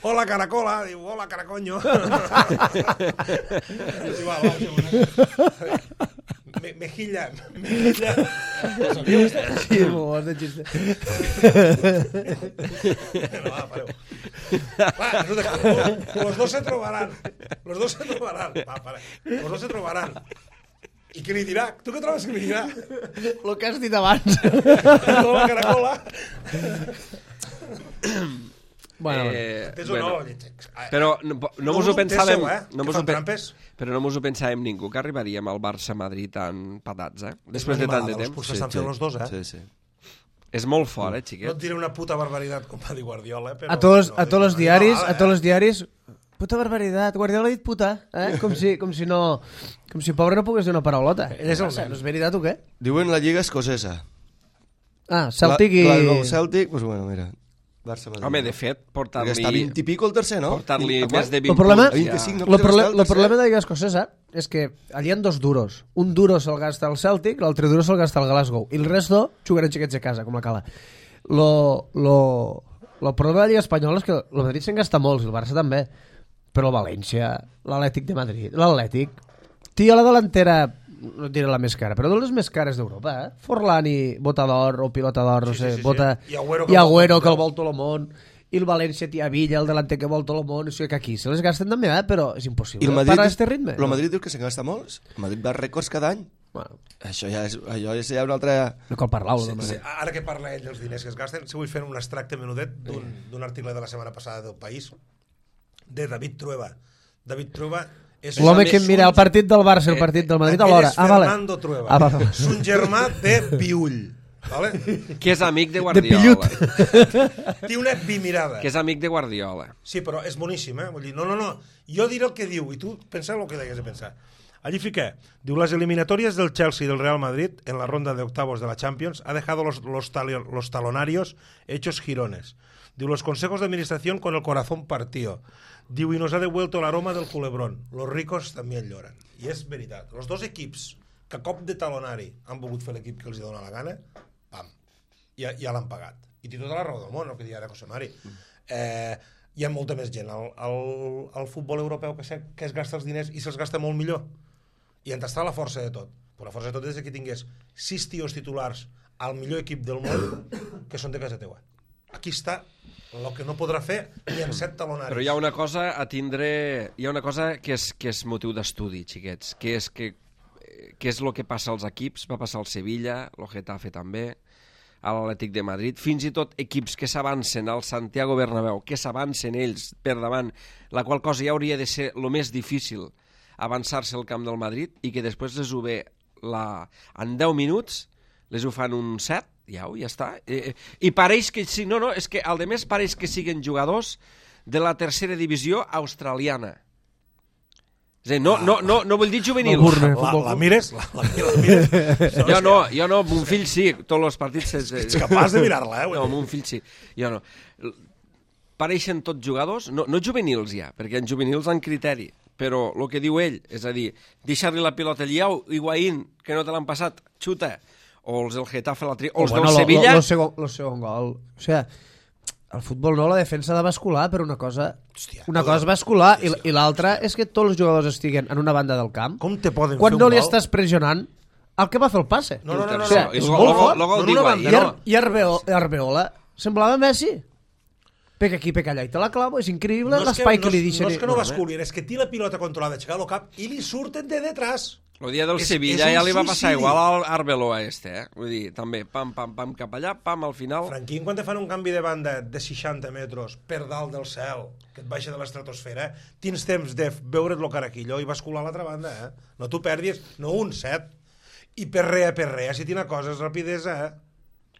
Hola, caracola. Diu, hola, caracoño. Sí, va, va, sí, Me, mejilla, mejilla. Sí, m'ho has de xiste. No, va, pareu. Va, resulta, los dos se trobaran. Los dos se trobaran. Va, pare. Los dos se trobaran. I què li dirà? Tu què trobes que li dirà? Lo que has dit abans. Hola, caracola. Bueno, eh, bueno. Però no, no mos ho pensàvem... Eh? No mos ho pe... Però no mos ho pensàvem ningú, que arribaríem al Barça-Madrid tan patats, eh? Després de tant de temps. Potser estan fent els dos, eh? Sí, sí. És molt fort, eh, xiquet? No et diré una puta barbaritat, com va dir Guardiola, però... A tots, a tots els diaris, a tots els diaris... Puta barbaritat, Guardiola ha dit puta, eh? Com si, com si no... Com si pobre no pogués dir una paraulota. Ell és el nen. No és veritat o què? Diuen la Lliga Escocesa. Ah, Celtic i... Glasgow Celtic, doncs bueno, mira... Barça-Madrid. Home, de fet, portar-li... Perquè està vint i pico el tercer, no? Portar-li més de vint el problema, punts. vint-i-cinc, no el, proble el problema de la Lliga Escocesa és que allà hi ha dos duros. Un duro se'l gasta el Celtic, l'altre duro se'l gasta el Glasgow. I el resto jugaran xiquets a casa, com la cala. Lo, lo, lo problema de la Lliga Espanyola és que el Madrid se'n gasta molts, i el Barça també. Però el València, l'Atlètic de Madrid, l'Atlètic... Tia, la delantera... no et diré la més cara, però de les més cares d'Europa, eh? Forlán i Botador o Pilota d'Or, no sí, sé, sí, sí, Bota... sí. I Agüero, que, I Agüero que el vol tot el món, i el València tia Villa, el delanter que vol tot el món, o sigui que aquí se les gasten també, eh? Però és impossible. I el Madrid, parar este ritme? El Madrid diu que se'n gasta molts, el Madrid va rècords cada any. Bueno. Això ja és, allò és ja una altra... No cal parlar-ho. Sí, no, sí, ara que parla ell dels diners que es gasten, si vull fer un extracte menudet d'un article de la setmana passada del País, de David Trueba. David Trueba... L'home que mira el partit del Barça i el partit del Madrid alhora. Ah, vale. Fernando Trueba. Ah, vale. És un germà de Piull. Vale? Que és amic de Guardiola. Té una bimirada. Que és amic de Guardiola. Sí, però és boníssim, eh? Vull dir, no, no, no. Jo diré el que diu, i tu pensa el que deies de pensar. Allí fiqué. Diu, las eliminatorias del Chelsea y del Real Madrid en la ronda de octavos de la Champions ha dejado los, los, talio, los talonarios hechos jirones. Diu, los consejos de administración con el corazón partido. Diu, y nos ha devuelto el aroma del culebrón. Los ricos también lloran. I és veritat. Els dos equips que a cop de talonari han volgut fer l'equip que els dona la gana, pam, ja, ja l'han pagat. I té tota la raó del món, el que deia ara José Mari. Eh, hi ha molta més gent al, al, al futbol europeu que, se, que es gasta els diners i se'ls gasta molt millor. I on està la força de tot? Però la força de tot és que tingués sis tios titulars al millor equip del món que són de casa teua. Aquí està el que no podrà fer ni en set talonaris. Però hi ha una cosa a tindre... Hi ha una cosa que és, que és motiu d'estudi, xiquets, que és que que és el que passa als equips, va passar al Sevilla, el Getafe també, a l'Atlètic de Madrid, fins i tot equips que s'avancen al Santiago Bernabéu, que s'avancen ells per davant, la qual cosa ja hauria de ser el més difícil, avançar-se al camp del Madrid, i que després les ho ve la... en deu minuts, les ho fan un set, ja, ja està. I, i pareix que sí, no, no, és que al de més pareix que siguen jugadors de la tercera divisió australiana. És a dir, no, no, no, no vull dir juvenil. La, la, la mires? La, la, la mires? Jo no, jo no, mon fill sí, tots els partits... És, ets capaç de mirar-la, eh? No, mon fill sí, jo no. Pareixen tots jugadors, no, no juvenils ja, perquè en juvenils han criteri, però el que diu ell, és a dir, deixar-li la pilota al Lliau, Higuaín, que no te l'han passat, xuta, o els del Getafe, la tri... o els bueno, del Sevilla... El segon, segon gol, o sigui... El futbol no, la defensa ha de bascular, però una cosa, Hòstia, una cosa és bascular i, i l'altra és que tots els jugadors estiguen en una banda del camp. Com te poden quan fer no un li gol? estàs pressionant el que va fer el passe. No, no, no, no, o sigui, no. és no. molt fort. No, no, no, I, no, Ar i Arbeola, Arbeola semblava Messi. Perquè aquí, perquè allà, i te la clavo, és increïble no l'espai que, que li deixen. No és que no basculin, és que té la pilota controlada, aixecar el cap i li surten de detrás. El dia del és, Sevilla és ja li va suïcidi. passar igual al Arbeloa este, eh? Vull dir, també, pam, pam, pam, cap allà, pam, al final... Franquín, quan te fan un canvi de banda de seixanta metres per dalt del cel, que et baixa de l'estratosfera, tens temps de veure't lo caraquillo i bascular a l'altra banda, eh? No t'ho perdis, no un set. I perrea, perrea, si tina coses, rapidesa, eh?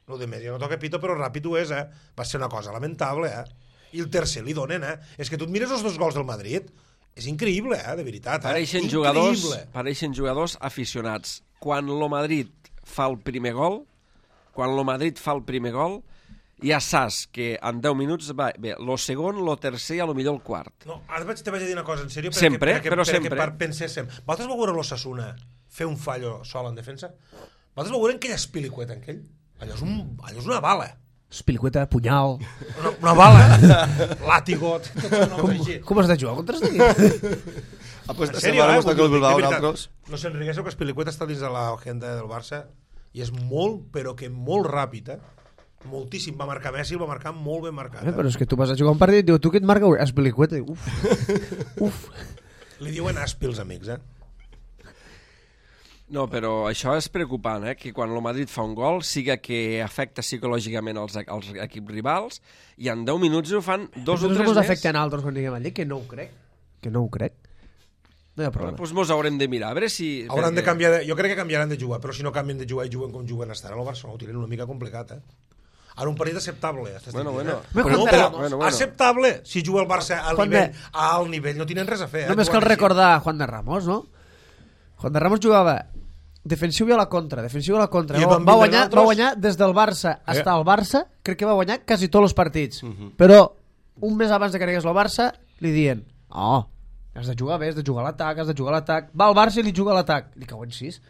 Lo de més, jo no toca pito, però ràpid ho és, eh? Va ser una cosa lamentable, eh? I el tercer li donen, eh? És que tu et mires els dos gols del Madrid... És increïble, eh, de veritat. Eh? Pareixen jugadors, pareixen jugadors aficionats. Quan lo Madrid fa el primer gol, quan lo Madrid fa el primer gol, ja saps que en deu minuts va bé, lo segon, lo tercer i a lo millor el quart. No, ara vaig, te vaig a dir una cosa, en sèrio, sempre, perquè, però perquè, sempre. Per penséssim. Vosaltres vau veure l'Osasuna fer un fallo sol en defensa? Vosaltres vau veure aquella espilicueta en aquell? Allò és, un, allò és una bala. Espilicueta, punyal... Una, una bala, làtigo... Com, com has de jugar contra este equip? Ah, pues en se sèrio, va eh? gustar que el Bilbao nosaltres. No se'n riguéssiu que Espilicueta està dins de l'agenda del Barça i és molt, però que molt ràpid, eh? Moltíssim. Va marcar Messi, el va marcar molt ben marcat. Eh, però és que tu vas a jugar un partit i diu, tu què et marca? Espilicueta. Uf. Uf. Li diuen aspi els amics, eh? No, però això és preocupant, eh? Que quan el Madrid fa un gol siga que afecta psicològicament els, els equips rivals i en deu minuts ho fan dos o tres més. més. Afecten altres quan diguem allí, que no ho crec. Que no ho crec. No hi ha problema. Doncs mos haurem de mirar, a veure si... Hauran de canviar de... Jo crec que canviaran de jugar, però si no canvien de jugar i juguen com juguen estan al Barça, ho tenen una mica complicat, eh? Ara un partit acceptable. Bueno, bueno. Eh? Però, Bueno, però, bueno, bueno. acceptable si juga el Barça al Juan nivell, de... a alt nivell, no tenen res a fer. Eh? Només cal recordar Juan de Ramos, no? Juan de Ramos jugava defensiu i a la contra, defensiu i a la contra. Va, va, guanyar, va guanyar des del Barça fins eh. al Barça, crec que va guanyar quasi tots els partits. Uh -huh. Però un mes abans de que arribés al Barça li diuen, oh, has de jugar bé, has de jugar a l'atac, has de jugar a l'atac. Va al Barça i li juga a l'atac. Li cauen sis.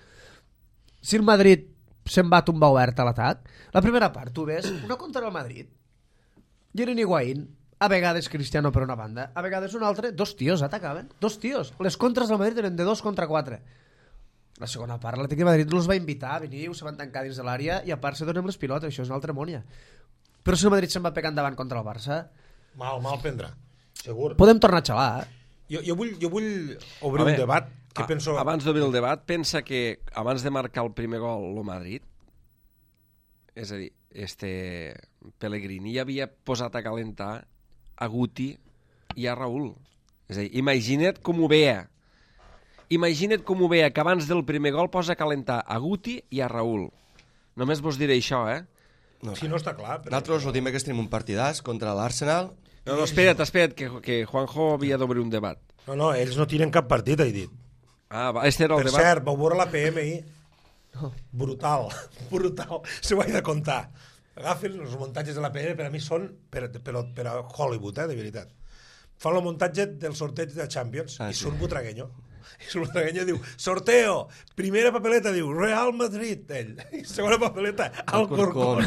Si el Madrid se'n va tombar obert a l'atac, la primera part, tu ves, una contra el Madrid, Yerin Higuaín, a vegades Cristiano per una banda, a vegades un altre, dos tios atacaven, dos tios. Les contres del Madrid eren de dos contra quatre. La segona part, l'Atlètic de Madrid no els va invitar, veniu, se van tancar dins de l'àrea i a part se donen les pilotes, això és una altra mònia. Però si el Madrid se'n va pegar endavant contra el Barça... Mal, mal prendrà, segur. Podem tornar a xalar, eh? Jo, jo, vull, jo vull obrir veure, un debat que a, penso... Abans d'obrir el debat, pensa que abans de marcar el primer gol el Madrid, és a dir, este Pellegrini ja havia posat a calentar a Guti i a Raúl. És a dir, imagina't com ho veia. Imagina't com ho veia, que abans del primer gol posa a calentar a Guti i a Raúl. Només vos diré això, eh? No, si no està clar... Però... Nosaltres el dimecres tenim un partidàs contra l'Arsenal. No, no, espera't, espera't, que, que Juanjo havia d'obrir un debat. No, no, ells no tiren cap partit, he dit. Ah, va, este era el Per debat. cert, vau veure la P M ahir? Brutal, brutal. Se ho he de contar. Agafen els muntatges de la P M, per a mi són per, per, per a Hollywood, eh, de veritat. Fan el muntatge del sorteig de Champions ah, i sí. surt Butragueño. I surt Butragueño diu, sorteo, primera papeleta, diu, Real Madrid, ell. I segona papeleta, Alcorcón.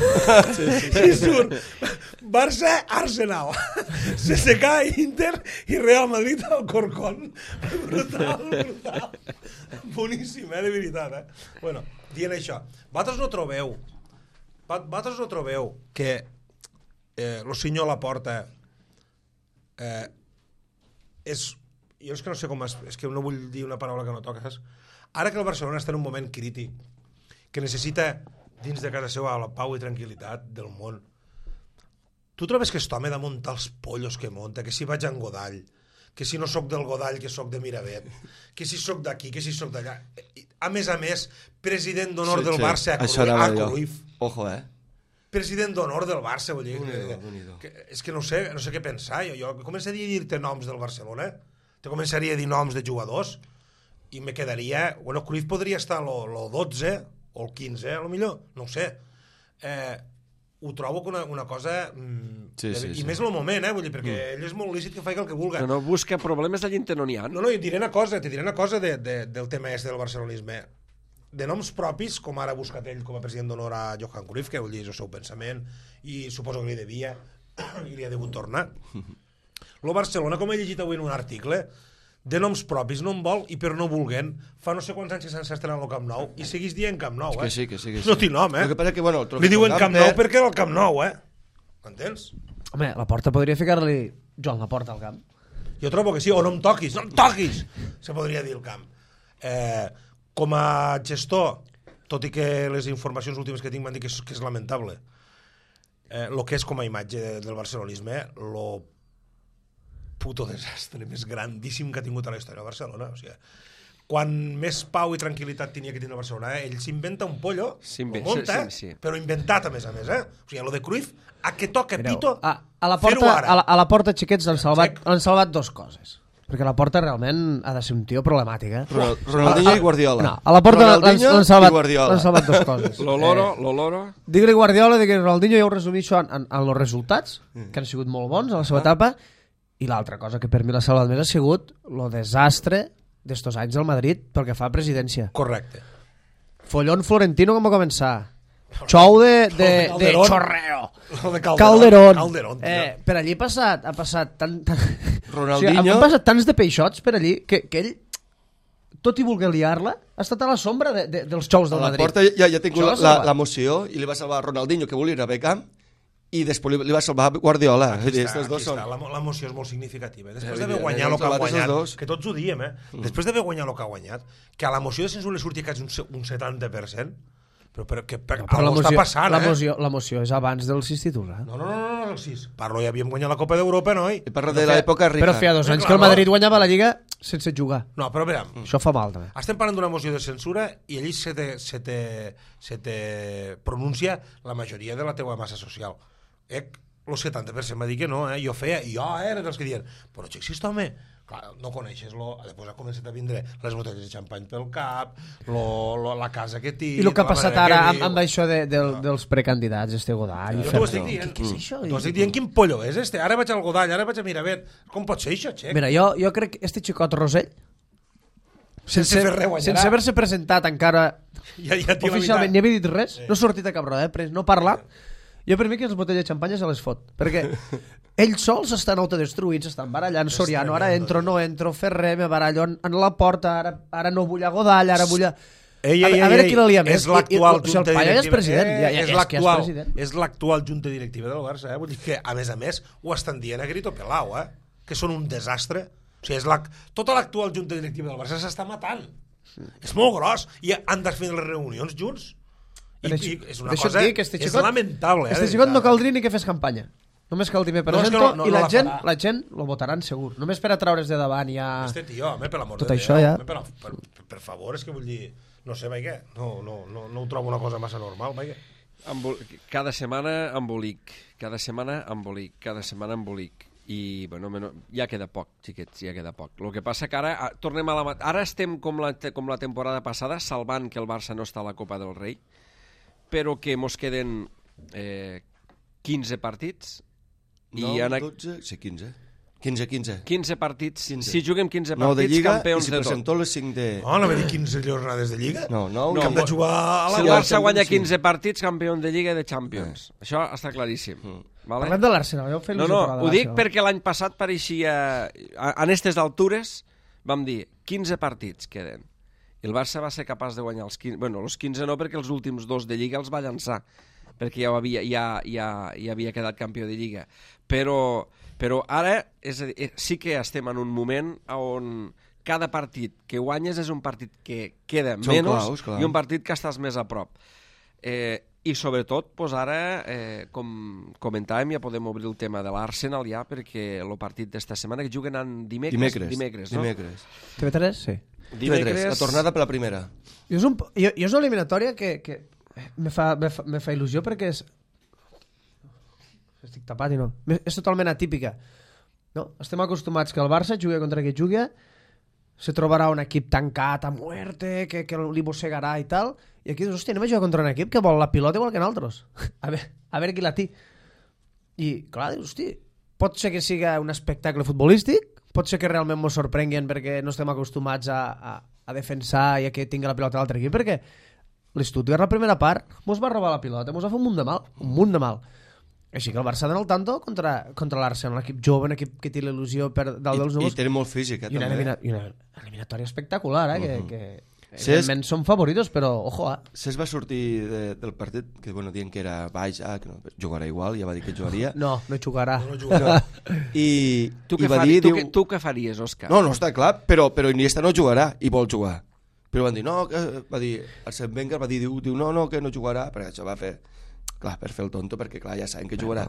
Sí, sí, sí. I surt Barça, Arsenal. C S K, Inter i Real Madrid, Alcorcón. Brutal, brutal. Boníssim, eh, de veritat, eh. Bueno, dient això, vosaltres no trobeu, vosaltres no trobeu que eh, lo senyor Laporta eh, és... jo és que no sé com es, és que no vull dir una paraula que no toques, ara que el Barcelona està en un moment crític que necessita dins de casa seva la pau i tranquil·litat del món, tu trobes que aquest home de muntar els pollos que monta, que si vaig a en Godall, que si no sóc del Godall que sóc de Miravet, que si sóc d'aquí, que si sóc d'allà, a més a més president d'honor sí, del sí. Barça a, Cruyff, a Cruyff. Ojo, eh? President d'honor del Barça, vull dir, unido, que, unido. Que, és que no sé, no sé què pensar, jo, jo començaria a dir-te noms del Barcelona, te començaria a dir noms de jugadors i me quedaria... Bueno, Cruyff podria estar lo dotze o el quinze, a lo millor, no ho sé. Eh, ho trobo que una, una cosa... Mm, sí, sí, I sí. més en el moment, eh? Vull dir, perquè mm. ell és molt lícit que faci el que vulga. No, no busca problemes d'allí no n'hi ha. No, no, jo et diré una cosa, te diré una cosa de, de, del tema este del barcelonisme. De noms propis, com ara ha buscat ell com a president d'honor a Johan Cruyff, que vull dir, és el seu pensament, i suposo que li devia, i li ha degut tornar. Lo Barcelona, com he llegit avui en un article, de noms propis no en vol i per no vulguent fa no sé quants anys que s'han estrenat al Camp Nou i seguís dient Camp Nou, eh? Que sí, que sí, que sí. No té nom, eh? Que passa que, bueno, li diuen Camp Nou perquè era el Camp Nou, eh? M'entens? Home, la Porta podria ficar-li Joan Laporta al camp. Jo trobo que sí, o no em toquis, no em toquis! Se podria dir el camp. Eh, com a gestor, tot i que les informacions últimes que tinc m'han dit que és, que és lamentable, eh, lo que és com a imatge del barcelonisme, lo puto desastre més grandíssim que ha tingut a la història de Barcelona. O sigui, quan més pau i tranquil·litat tenia que tenir Barcelona, eh? Ell s'inventa un pollo, ho munta, sí, sí. però inventat a més a més. Eh? O sigui, lo de Cruyff, a que toca Mireu, pito, a, a la porta, a la, a la porta, xiquets, han salvat, han salvat dos coses. Perquè la Porta realment ha de ser un tio problemàtic, eh? Ronaldinho i Guardiola. No, a la Porta l'han salvat, salvat dos coses. L'Oloro, eh, l'Oloro... Digue-li Guardiola, digue Ronaldinho, ja ho resumeixo en, en, en els resultats, que han sigut molt bons a la seva etapa. I l'altra cosa que per mi l'ha salvat més ha sigut el desastre d'estos anys del Madrid pel que fa a presidència. Correcte. Follón Florentino com va començar. Xou de, de, de chorreo. De Calderón. Calderón. Calderón eh, per allí ha passat, ha passat tant... tant... Ronaldinho... O sigui, han passat tants de peixots per allí que, que ell, tot i voler liar-la, ha estat a la sombra de, de, dels xous del a la Madrid. Porta ja, ja ha tingut la, la moció i li va salvar Ronaldinho, que volia ir a Beckham, i després li va salvar Guardiola. Aquí està, aquí està. L'emoció és molt significativa. Després d'haver guanyat el que ha guanyat, que tots ho diem, eh? Després d'haver guanyat el que ha guanyat, que a l'emoció de censura li surti quasi un setanta per cent, però, però, que, per, no, però algo està passant, eh? L'emoció és abans del sis tituls, eh? No, no, no, no, el sis. Parlo, ja havíem guanyat la Copa d'Europa, noi? I parlo de l'època rica. Però feia dos anys que el Madrid guanyava la Lliga sense jugar. No, però veure... Això fa mal, també. Estem parlant d'una moció de censura i allí se te, se te, se te pronuncia la majoria de la teua massa social. Eh? El setanta per cent va dir que no, eh? Jo feia, i jo era dels que diuen, però xexista, home, clar, no coneixes-lo, després ha començat a vindre les botelles de xampany pel cap, lo, lo, la casa que tinc... I el que ha passat ara amb, amb això de, de, no. dels precandidats, este Godall... Jo t'ho estic dient, què és això? T'ho estic dient quin pollo és este, ara vaig al Godall, ara vaig a Miravet, com pot ser això, xec? Mira, jo, jo crec que este xicot Rosell, sense, sense, sense haver-se presentat encara ja, ja oficialment, ni havia dit res, sí. No ha sortit a cap roda, eh? No parla... Jo per mi que les botelles de xampanya se les fot, perquè ells sols estan autodestruïts, estan barallant Soriano, ara entro, no entro, Ferrer, me barallo en, en la porta, ara, ara no vull a Godall, ara vull a... Ei, ei, a, a veure ei, qui la lia més. És l'actual junta directiva. O sigui, el és president. Eh, ja, ja, és és, l'actual, és, president. és l'actual junta directiva del Barça, eh? Vull dir que, a més a més, ho estan dient a grito pelao, eh? Que són un desastre. O sigui, és la... tota l'actual junta directiva del Barça s'està matant. Sí. És molt gros. I han de fer les reunions junts. I, i és una cosa... Dir que este xicot, és lamentable. Este xicot no caldria ni que fes campanya. Només cal dir me presento no, no, no, i la, no la gent la gent lo votaran segur. Només per a traure's de davant ja... Este tio, home, per l'amor de Déu. Tot això ja... Per, per, per, per favor, és que vull dir... No sé, vaig, no, no, no, no ho trobo una cosa massa normal, vaig. Embol... Cada setmana embolic, cada setmana embolic, cada setmana embolic. i bueno, ja queda poc, xiquets, ja queda poc. El que passa que ara tornem a la, ara estem com la, com la temporada passada, salvant que el Barça no està a la Copa del Rei, però que mos queden eh, quinze partits i nou, en... dotze, sí, quinze. quinze, quinze. quinze partits, quinze. Si juguem quinze nou de partits, Lliga, campions i si de tot. presentó les cinc de... No, no va dir quinze jornades de Lliga. No, nou, No, Que hem de jugar a la... Si el Ja, Barça guanya sí. quinze partits, campió de Lliga i de Champions. Eh. Això està claríssim. Mm. Vale? Parlem de l'Arsenal, ja ho fem No, no, ho dic perquè l'any passat pareixia... En aquestes altures vam dir quinze partits queden. I el Barça va ser capaç de guanyar els quinze... Bueno, els quinze no, perquè els últims dos de Lliga els va llançar, perquè ja, havia, ja, ja, ja havia quedat campió de Lliga. Però, però ara és a dir, sí que estem en un moment on cada partit que guanyes és un partit que queda Són menys claus, clar. i un partit que estàs més a prop. Eh, I sobretot, doncs ara, eh, com comentàvem, ja podem obrir el tema de l'Arsenal ja, perquè el partit d'esta setmana, que juguen en dimecres, Dimecres. dimecres, no? Dimecres. T V tres, sí. Dimecres, la tornada per la primera. Jo és, un, jo, jo és una eliminatòria que, que me, fa, me, fa, me fa il·lusió perquè és... Estic tapat i no. És totalment atípica. No? Estem acostumats que el Barça jugui contra qui jugui, se trobarà un equip tancat a muerte, que, que li mossegarà i tal, i aquí dius, hòstia, anem a jugar contra un equip que vol la pilota igual que nosaltres. A veure, a veure qui la té. I, clar, dius, hosti, pot ser que siga un espectacle futbolístic, pot ser que realment mos sorprenguin perquè no estem acostumats a, a, a defensar i a que tingui la pilota l'altre equip, perquè l'Stuttgart la primera part mos va robar la pilota, mos va fer un munt de mal, un munt de mal. Així que el Barça dona el tanto contra, contra l'Arsenal, un equip jove, un equip que té l'il·lusió per dalt dels I, núvols. I té molt físic, eh, I una, també. elimina, i una eliminatòria espectacular, eh, Uh-huh. que, que Cesc- evidentment són favoritos, però ojo, eh. Cesc va sortir de, del partit, que bueno, dient que era baix, ah, que no, jugarà igual, ja va dir que jugaria. No, no jugarà. No jugarà. I, Tu i què, va faries, dir, tu, diu, què, tu què faries, Òscar? no, no està clar, però, però Iniesta no jugarà i vol jugar. Però van dir, no, que, va dir, Arsène Wenger va dir, diu, diu, no, no, que no jugarà, perquè això va fer, clar, per fer el tonto, perquè clar, ja saben que jugarà.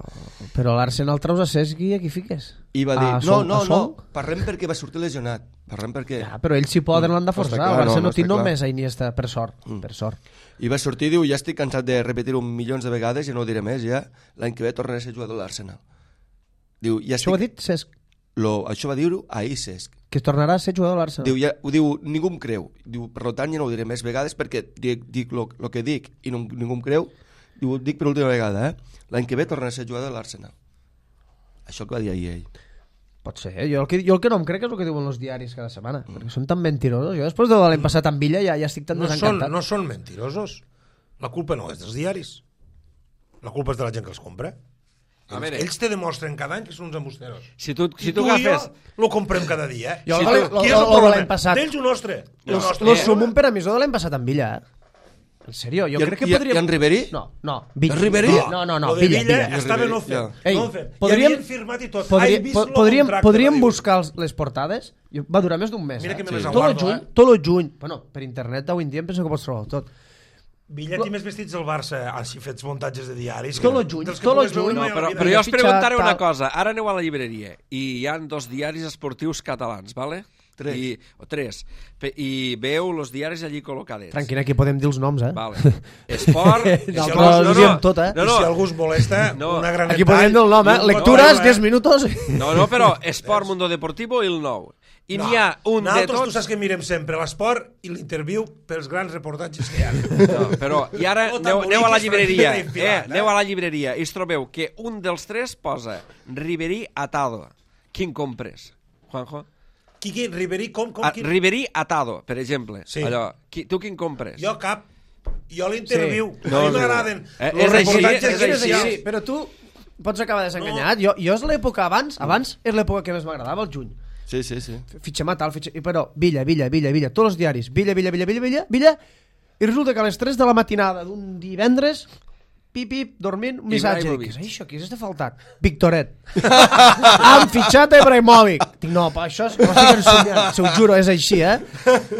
Però l'Arsenal treus a Cesc i aquí fiques. I va dir, A no, Son- no, a no, Son? parlem perquè va sortir lesionat, parlem perquè... Ja, però ells si poden l'han de No està forçar. clar, El Barça no, no, no té està clar. només a Iniesta, per sort. Mm. Per sort. I va sortir, diu, ja estic cansat de repetir-ho milions de vegades i no ho diré més, ja, l'any que ve tornaré a ser jugador de l'Arsenal. Diu, ja Això ho ha estic... dit Cesc, Lo, això va dir-ho ahir, Cesc. que tornarà a ser jugador de l'Arsenal. Diu, ja, ho diu, ningú em creu. Diu, per tant, ja no ho diré més vegades perquè dic, dic lo, lo que dic i no, ningú em creu. Diu, ho dic per última vegada, eh? L'any que ve tornarà a ser jugador de l'Arsenal. Això que va dir ahir ell. Pot ser, eh? jo, el que, jo el que no em crec és el que diuen els diaris cada setmana, mm. perquè són tan mentirosos. Jo després de l'any passat amb Villa ja, ja estic tan No són, desencantat. no són mentirosos. La culpa no és dels diaris. La culpa és de la gent que els compra. A Ells, veure. ells te demostren cada any que són uns embusteros. Si tu, si I tu tu i jo agafes... lo comprem cada dia, eh? Jo Si el- tu- lo- qui és lo- el lo de problema? l'any passat. D'ells o nostre? No, El nostre. Lo Eh, sumum per emissor de l'any passat amb Villa, eh? En sèrio, jo I en- crec que i- podríem... i en Ribéry? No, no. Villa. En Ribéry? No, no, no, Lo de Villa, Villa, Villa. estava no Ribéry, fet. ja. Ei, no fet. podríem- I havien firmat i tot. Podria, Ai, vist po- lo podríem, contracte, podríem va dir. buscar els, les portades. Jo- Va durar més d'un mes. Mira eh? que me les Tot el aguardo, juny, eh? tot el juny. Bueno, per internet avui en dia em penso que pots trobar tot. Villa té més vestits del Barça, així fets muntatges de diaris. Tot que- el juny, dels que tot el pugues veure juny. No, mai a la però, vida. però jo us fitxat, preguntaré una tal. cosa. Ara aneu a la llibreria i hi han dos diaris esportius catalans, ¿vale? Tres. I, o tres. Pe- I veu els diaris allí col·locadets. Tranquil, aquí podem dir els noms, eh? Vale. Esport... No, això però ho diem tot, eh? No, I no, si algú es molesta, No. una gran Aquí podem dir el nom, eh? Lectures, diez minutos. no, no, però Esport Mundo Deportivo i el nou. I n'hi ha un de Nosaltres tu tots... saps que mirem sempre l'esport i l'interviu pels grans reportatges que hi ha. No, però, i ara No aneu, aneu a la t'emboliquis, llibreria, Francina, eh? infilat, eh? Aneu a la llibreria i us trobeu que un dels tres posa Ribéry Atado. Quin compres, Juanjo? Qui, qui? Ribéry, com? com A, qui? Ribéry Atado, per exemple. Sí. Allò, qui, tu quin compres? Jo cap. Jo l'interviu. Sí. No, a mi no. m'agraden Eh, los és així, reportatges és així. especials. Però tu pots acabar desenganyat. Jo, jo és l'època abans, abans és l'època que més m'agradava, el juny. Sí, sí, sí. Fitxem a tal, fitxem... i Però Villa, Villa, Villa, Villa, tots els diaris, Villa, Villa, Villa, Villa, Villa, Villa, i resulta que a les tres de la matinada d'un divendres, pip, pip, dormint, un missatge. Dic, Ibrahimovic. què és això? Qui és este faltat? Victoret. Han fitxat a Ibrahimovic. Dic, no, pa, això és... No estic ensomiant. Se ho juro, és així, eh?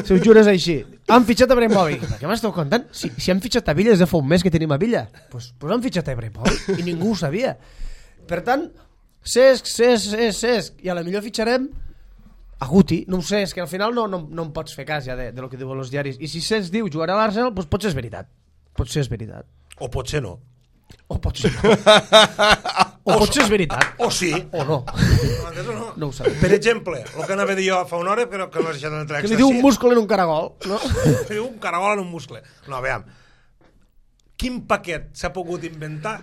Se ho juro, és així. Han fitxat a Ibrahimovic. Per què m'esteu contant? Si, si han fitxat a Villa és de fa un mes que tenim a Villa. Doncs pues, pues han fitxat a Ibrahimovic i ningú ho sabia. Per tant, Cesc, Cesc, Cesc, Cesc. I a la millor fitxarem a Guti, no ho sé, és que al final no, no, no em pots fer cas ja de, de lo que diuen els diaris. I si Cesc diu jugarà a l'Arsenal, doncs potser és veritat. Potser és veritat. O potser no. O potser no. O potser és veritat. O sí. O no. M'entens o no? No ho sabem. Per exemple, el que anava a dir jo fa una hora, que no, que no has deixat d'entrar Que li diu un múscul en un caragol, no? Li diu un caragol en un muscle. No, veiem. Quin paquet s'ha pogut inventar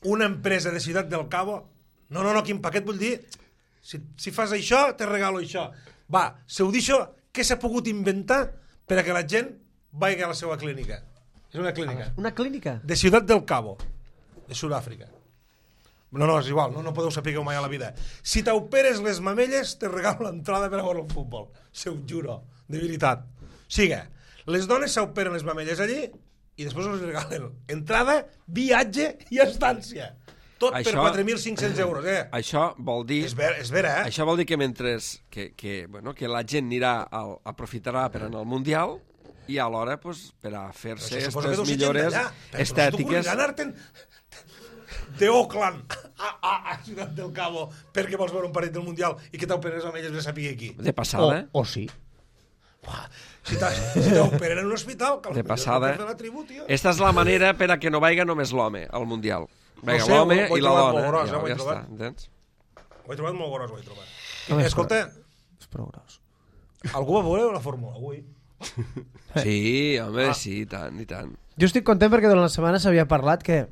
una empresa de Ciutat del Cabo? No, no, no, quin paquet vull dir? Si, si fas això, te regalo això. Va, si ho deixo, què s'ha pogut inventar per a que la gent vagi a la seva clínica? És una clínica. Una clínica? De Ciutat del Cabo, de Sud-àfrica. No, no, és igual, no, no podeu saber mai a la vida. Si t'operes les mamelles, te regalo l'entrada per a veure el futbol. Se ho juro, de veritat. Siga, les dones s'operen les mamelles allí i després els regalen entrada, viatge i estància. Tot això, per quatre mil cinc-cents euros, eh? Això vol dir... És vera, és vera, eh? Això vol dir que mentre que, que, bueno, que la gent anirà al, aprofitarà per anar al Mundial i alhora pues, per a fer-se aquestes millores estètiques... Tu anar-te'n d'Oakland a, a, a Ciutat del Cabo perquè vols veure un partit del Mundial i que t'operen les mamelles de saber aquí. De passada. O, o sí. Uah, si t'operen en un hospital... De passada. De la tribu, tio. Esta és la manera per a que no vaiga només l'home al Mundial. Vinga, no sé, l'home ho, ho i la dona. Gros, ja, eh, ja està, entens? Ho he trobat molt gros, ho he trobat. No, Escolta, és prou gros. algú va veure la Fórmula avui? Sí, home, Ah. sí, i tant, i tant. Jo estic content perquè durant la setmana s'havia parlat que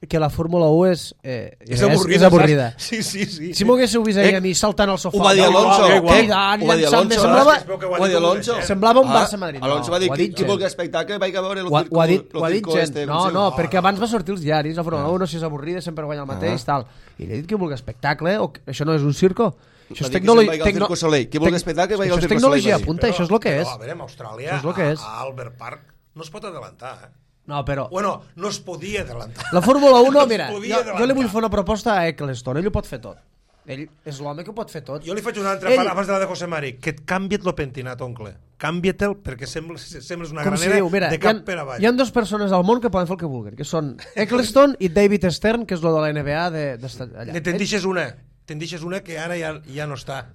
que la Fórmula un és, eh, És avorrida. És avorrida. Saps? Sí, sí, sí. Si m'ho haguéssiu vist ahir a mi saltant al sofà... Ho va dir Alonso. no, Eh, cridant, ho va dir llançant-me, Alonso, semblava, Es veu que ho ha Ho va dit dir un Alonso. mateix, eh? semblava un Ah, Barça-Madrid. No, Alonso va dir ho ha qui, dit qui gent. vulgui espectacle vaig a veure el Ho ha, ho ha dit, el ho ha dit circo gent. este, No, sé, no, ah, perquè abans va sortir els diaris, la Fórmula un, no si és avorrida, sempre guanya el mateix, Ah. tal. I li he dit que vulgui espectacle, o que això no és un circo. Això Va és dir que tecnologia... se'n vagi al Circo Soleil. Qui vulgui espectacle, vagi al Això és Circo tecnologia Soleil, va dir. punta, això és el que és. Però, a veure, en Austràlia, Això és el que és. a, a Albert Park, no es pot adelantar, eh? No, però... Bueno, no es podia adelantar. La Fórmula un, No es mira, podia jo, adelantar. jo li vull fer una proposta a Eccleston, ell ho pot fer tot. Ell és l'home que ho pot fer tot. Jo li faig una altra Ell- part abans de la de José Mari, que et canvia't lo pentinat, oncle. Canvia't-el perquè sembles, sembles una Com si granera diu, mira, de hi ha, cap per avall. hi ha dues persones al món que poden fer el que vulguin, que són Eccleston i David Stern, que és lo de la N B A de, de, allà. Ne te'n deixes una, te'n deixes una que ara ja, ja no està,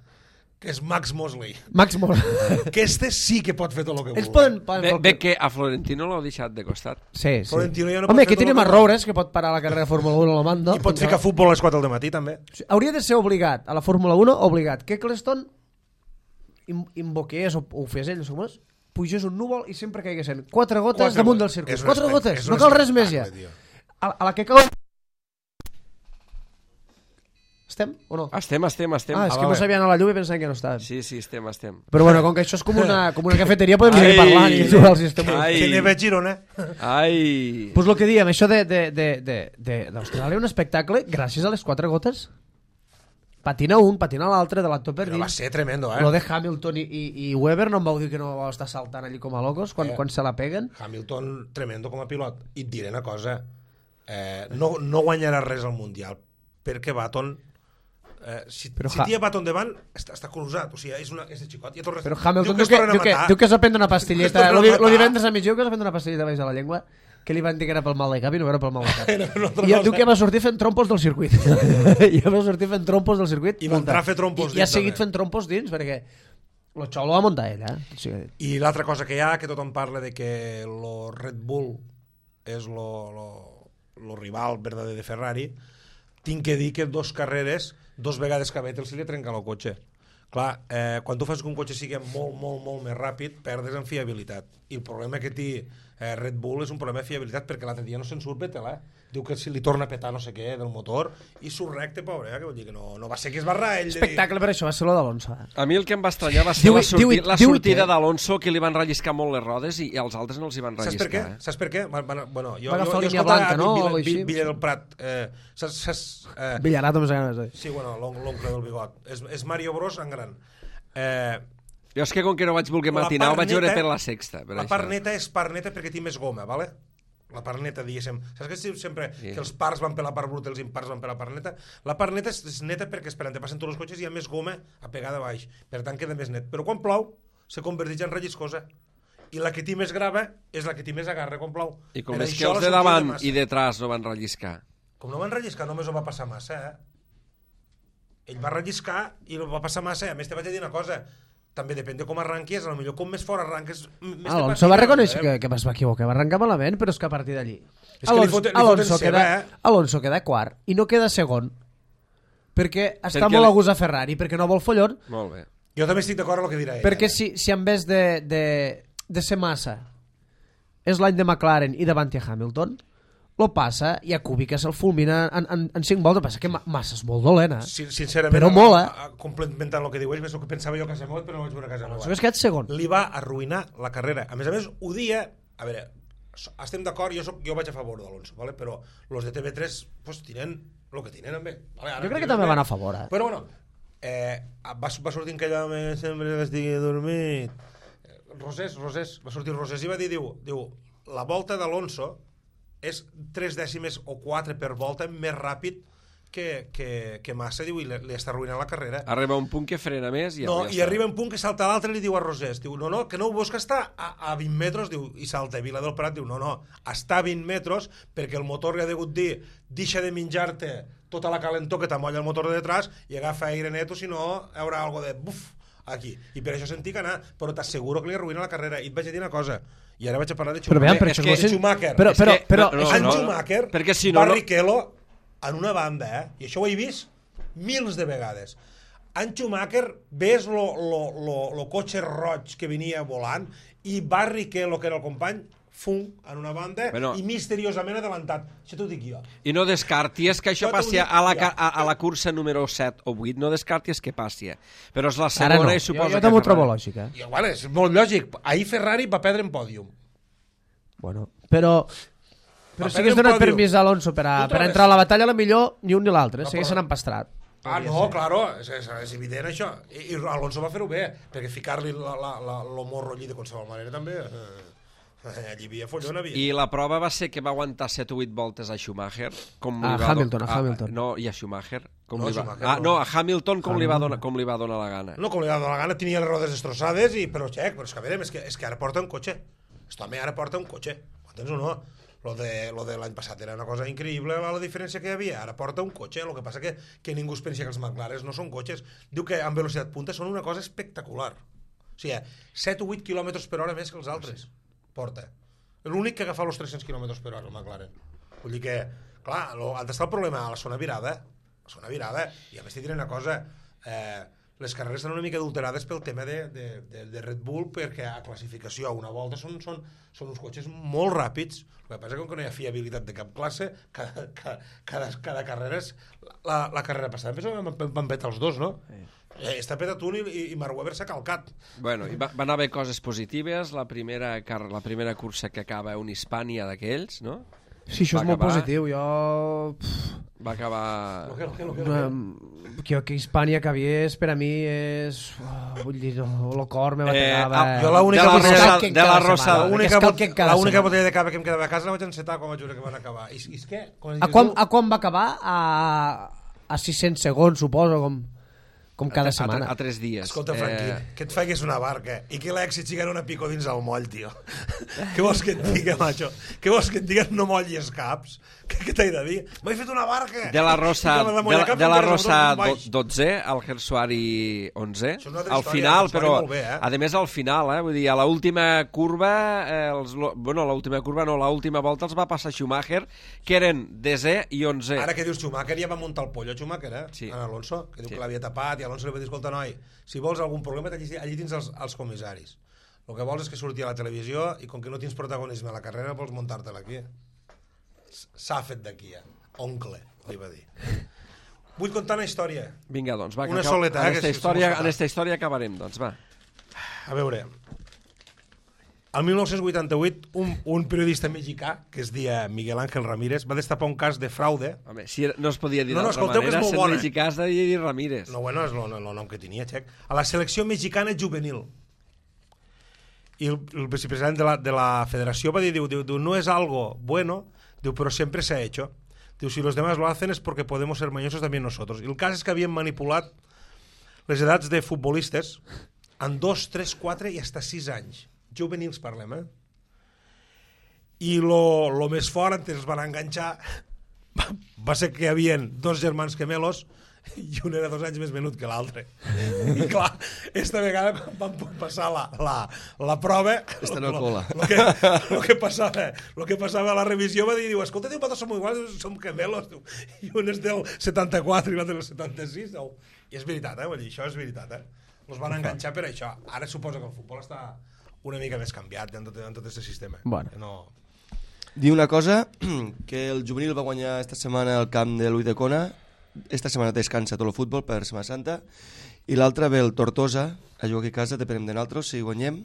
que és Max Mosley. Max Moore. Que este sí que pot fer tot el que Ells vulgui. poden... poden Bé, fer el bé que a Florentino l'heu deixat de costat. Sí, sí. Florentino ja no pot Home, fer aquí tot tenim el a que- Roures, que pot parar la carrera de Fórmula un a lo mando. I pot ficar futbol a les quatre del matí, també. Hauria de ser obligat, a la Fórmula un, obligat, que Eccleston im- invoqués o ho fes ell, no sé com és, pugés un núvol i sempre caiguessin quatre gotes Quatre damunt gotes. del circuit. És un Quatre espect- gotes, és un no cal res més ja. espectacle, tio. A, a la que cau... Estem o no? Estem, estem, estem. Ah, és que no sabia anar a la llum i pensava que no estàvem. Sí, sí, estem, estem. Però bueno, com que això és com una, com una cafeteria, podem Ai. seguir parlant i jugar al sistema. Ai. Que neve a Girona. Ai... Pues lo que diem, això de, de, de, de, de, d'Austràlia, un espectacle gràcies a les quatre gotes. Patina un, patina l'altre, de l'actor per Però va dins. ser tremendo, eh? Lo de Hamilton i, i, i Weber no em vau dir que no vau estar saltant allí com a locos quan, Eh. quan se la peguen. Hamilton, tremendo com a pilot. I et diré una cosa, eh, no, no guanyarà res al Mundial, perquè Baton... Eh, si, Però si Ha- tia Baton davant, està, està cruzat. O sigui, és, una, és de xicot. Ja torna, Però Hamilton diu diu que, es tornen a diu que, matar. diu que s'ha prendre una pastilleta. Diu que es Lo, tornen a di- lo matar. divendres a mig diu que s'ha prendre una pastilleta baix de la llengua que li van dir que era pel mal de cap i no era pel mal de cap. Era una altra I ja cosa. diu que va sortir fent trompos del circuit. I va sortir fent trompos del circuit. I va entrar a fer trompos I, i ha dins, seguit també. fent trompos dins perquè lo xou lo va muntar ell, eh? O sigui, I l'altra cosa que hi ha, que tothom parla de que lo Red Bull és lo, lo, lo rival verdader de Ferrari, tinc que dir que dos carreres, dos vegades que a Vettel se li trenca el cotxe. Clar, eh, quan tu fas que un cotxe sigui molt, molt, molt més ràpid, perdes en fiabilitat. I el problema que té eh, Red Bull és un problema de fiabilitat, perquè l'altre dia no se'n surt Vettel, eh? Diu que si li torna a petar no sé què del motor, i surt recte, pobre, eh? Que vol dir que no, no va ser que es barra ell. de dir- espectacle per això va ser lo d'Alonso. Eh? A mi el que em va estranyar va ser Diu- la, sorti diu- la diu- sortida que- d'Alonso, que li van relliscar molt les rodes i, i als altres no els hi van Saps per què? relliscar. Eh? Saps per què? Van, van, bueno, jo, Va agafar jo, jo línia escoltava blanca, no? Villa, O així. Villa, Villa del Prat. Eh, saps, saps, eh, Villarato més ganes. Eh? sí, bueno, l'on- l'oncle del bigot. És, és Mario Bros en gran. Eh, Jo és que com que no vaig voler la matinar, ho part vaig veure neta- per la sexta. Per la això. part neta és part neta perquè té més goma, vale? La part neta, diguéssim. Saps que es diu sempre Sí. que els parts van per la part bruta i els impars van per la part neta? La part neta és, és neta perquè esperant te passen tots els cotxes i hi ha més goma apegada a baix. Per tant, queda més net. Però quan plou, se converteix en relliscosa. I la que té més grava és la que té més agarra quan plou. I com Per és que això els la de sortida davant massa. i detrás no van relliscar. Com no van relliscar, només ho va passar massa, eh? Ell va relliscar i ho va passar massa. A més, te vaig a dir una cosa. també depèn de com arranques, a lo millor com més fort arranques... Més Alonso va reconèixer que, que es va equivocar, va arrencar malament, però és que a partir d'allí... Alonso, Alonso, Alonso, queda, eh? Alonso queda quart i no queda segon, perquè està perquè molt a gust a Ferrari, perquè no vol follon. Molt bé. Jo també estic d'acord amb el que dirà ell. Perquè si, si en vez de, de, de ser Massa és l'any de McLaren i davant a Hamilton, lo passa i a Kubica se'l fulmina en, en, en cinc voltes. Passa que Massa és molt dolent, eh? Sí, sincerament, però mola. Complementant el que diu ell, és el que pensava jo a casa meva, però no vaig veure a casa meva. Alonso és quedat segon. Li va arruïnar la carrera. A més a més, ho dia... A veure, estem d'acord, jo, soc, jo vaig a favor d'Alonso, ¿vale? Però los de T V tres pues, tienen lo que tienen, també. Vale, jo crec que també van a favor, eh? Però bueno, eh, va, va sortir en aquella home sempre que estigui dormit. Rosés, Rosés, va sortir Rosés i va dir, diu, diu la volta d'Alonso és tres dècimes o quatre per volta més ràpid que, que, que Massa, diu, i li, li està arruïnant la carrera. Arriba un punt que frena més i no, ja i està. arriba un punt que salta l'altre i li diu a Rosés, diu, no, no, que no ho veus que està a, a vint metres, diu, i salta a Vila del Prat, diu, no, no, està a vint metres perquè el motor li ha degut dir, deixa de menjar-te tota la calentor que t'amolla el motor de detrás i agafa aire neto, si no hi haurà algo de buf aquí, i per això sentí que anar, però t'asseguro que li arruïna la carrera. I et vaig a dir una cosa, i ara vaig a parlar de Schumacher. Però vean, però és que, no Schumacher, però, però, que, però, no, no, en no, Schumacher, perquè si no, Barrichello en una banda, eh? I això ho he vist mils de vegades. En Schumacher ves lo, lo, lo, lo cotxe roig que venia volant i Barrichello, que era el company, fum, en una banda, bueno, i misteriosament adelantat. Això t'ho dic jo. I no descarties que això Jo passi t'ho dic a la, jo. a, a la cursa número set o vuit, no descarties que passi. Però és la segona no. i suposa jo, jo que... també ho trobo lògic, eh? I, bueno, és molt lògic. Ahir Ferrari va perdre en pòdium. Bueno, però... Però Va si hagués perdre un donat pòdium. permís a Alonso per a, Tu per a trobes? entrar a la batalla, a la millor ni un ni l'altre, No, s'haguessin però- empastrat. Ah, no, claro, és, és, és evident això. I, i Alonso va fer-ho bé, perquè ficar-li la, la, la, lo morro allí de qualsevol manera també... Eh, allí havia follon, havia. I la prova va ser que va aguantar set o vuit voltes a Schumacher. Com A li va Hamilton, do- a Hamilton. No, i a Schumacher. Com No, li va... Schumacher ah, no. no, a Hamilton com, li va, donar, com li va donar la gana. No, com li va donar la gana, tenia les rodes destrossades, i, però, xec, però és que a veure, és que, és que ara porta un cotxe. Este home ara porta un cotxe. Entens o no? Lo de, lo de l'any passat era una cosa increïble, la diferència que hi havia. Ara porta un cotxe, el que passa que, que ningú es pensa que els McLaren no són cotxes. Diu que amb velocitat punta són una cosa espectacular. O sigui, set o vuit quilòmetres per hora més que els altres. Porta. L'únic que agafa els tres-cents quilòmetres per hora, el McLaren. Vull dir que, clar, lo, on està el problema? A la zona virada. A la zona virada. I a més t'hi diré una cosa, eh, les carreres estan una mica adulterades pel tema de, de, de, de Red Bull, perquè a classificació a una volta són, són, són uns cotxes molt ràpids. El que passa és que com que no hi ha fiabilitat de cap classe, cada, cada, cada, cada carrera és... La, la carrera passada van, van petar els dos, no? Sí. Eh, està petat un i, i Mark Webber s'ha calcat. Bueno, i va, van haver coses positives. La primera, car la primera cursa que acaba un Hispània d'aquells, no? Sí, això Va és molt acabar- positiu. Jo... Pff, Va acabar... Lo que, lo que, lo que, lo que. um, que, que Hispània cabiés per a mi és... Oh, vull dir, no, el cor me Eh, bategava. ah, Jo l'única de la botella- Rosa, que de la cada Rosa, setmana. L'única que es bot- calquen cada l'única setmana. botella de cava que em quedava a casa la vaig encetar quan vaig veure que van acabar. I, i és què? Com es A diu? quan, a quan va acabar? A, a sis-cents segons, suposo, com, com cada a, setmana. A, a tres dies. Escolta, Franqui, Eh, que et faigues una barca i que l'èxit sigui una pico dins el moll, tio. Què vols que et digui, macho? Què vols que et digui? No mollis caps. Què, què t'he de dir? M'he fet una barca! de la Rosa, I que me de, molla la- caps de la encara Rosa no do, baix. dotze, el Gersuari onze, Això és una altra al història, final, el Gersuari però molt bé, eh? a més al final, eh, vull dir, a l'última curva, eh, els, lo- bueno, l'última curva no, l'última volta els va passar Schumacher, que eren desè i onzè. Ara que dius Schumacher, ja va muntar el pollo Schumacher, eh? Sí. En Alonso, que diu Sí. que l'havia tapat, i Alonso li va dir, escolta, noi, si vols algun problema, allí, allí tens els, els comissaris. El que vols és que surti a la televisió i com que no tens protagonisme a la carrera, vols muntar-te-la aquí. S'ha fet d'aquí, eh? Oncle, li va dir. Vull contar una història. Vinga, doncs, va, que Una acab- soleta, en eh, que esta si història, som en esta història acabarem, doncs, va. A veure, el dinou vuitanta-vuit, un, un periodista mexicà, que es deia Miguel Ángel Ramírez, va destapar un cas de fraude. Home, si no es podia dir No, no, d'altra escolteu, que és manera, molt sent bona. mexicà has de dir Ramírez. No, bueno, és el, el nom que tenia, xec. A la selecció mexicana juvenil. I el, el vicepresident de la, de la federació va dir, diu, diu, diu, no és algo bueno, diu, però sempre se ha hecho. Diu, si los demás lo hacen es porque podemos ser mañosos también nosotros. I el cas és que havien manipulat les edats de futbolistes en dos, tres, quatre i hasta sis anys. Juvenils parlem, eh? I lo, lo més fort, antes els van enganxar, va ser que hi havia dos germans gemelos, i un era dos anys més menut que l'altre. I clar, esta vegada quan vam passar la, la, la prova, Esta no lo, cola. lo, que, lo, que passava, lo que passava a la revisió va dir, diu, escolta, diu, vosaltres som iguals, som gemelos, diu. I un és del setanta-quatre i l'altre del setanta-sis. Diu. I és veritat, eh? Vull dir, això és veritat, eh? Els van enganxar per això. Ara suposo que el futbol està una mica més canviat en tot, en tot aquest sistema. Bueno. No... Dir una cosa, que el juvenil va guanyar esta setmana al camp de l'Uidecona. Esta setmana descansa tot el futbol per Setmana Santa, i l'altra ve el Tortosa a jugar aquí a casa, depenem de nosaltres. Si guanyem,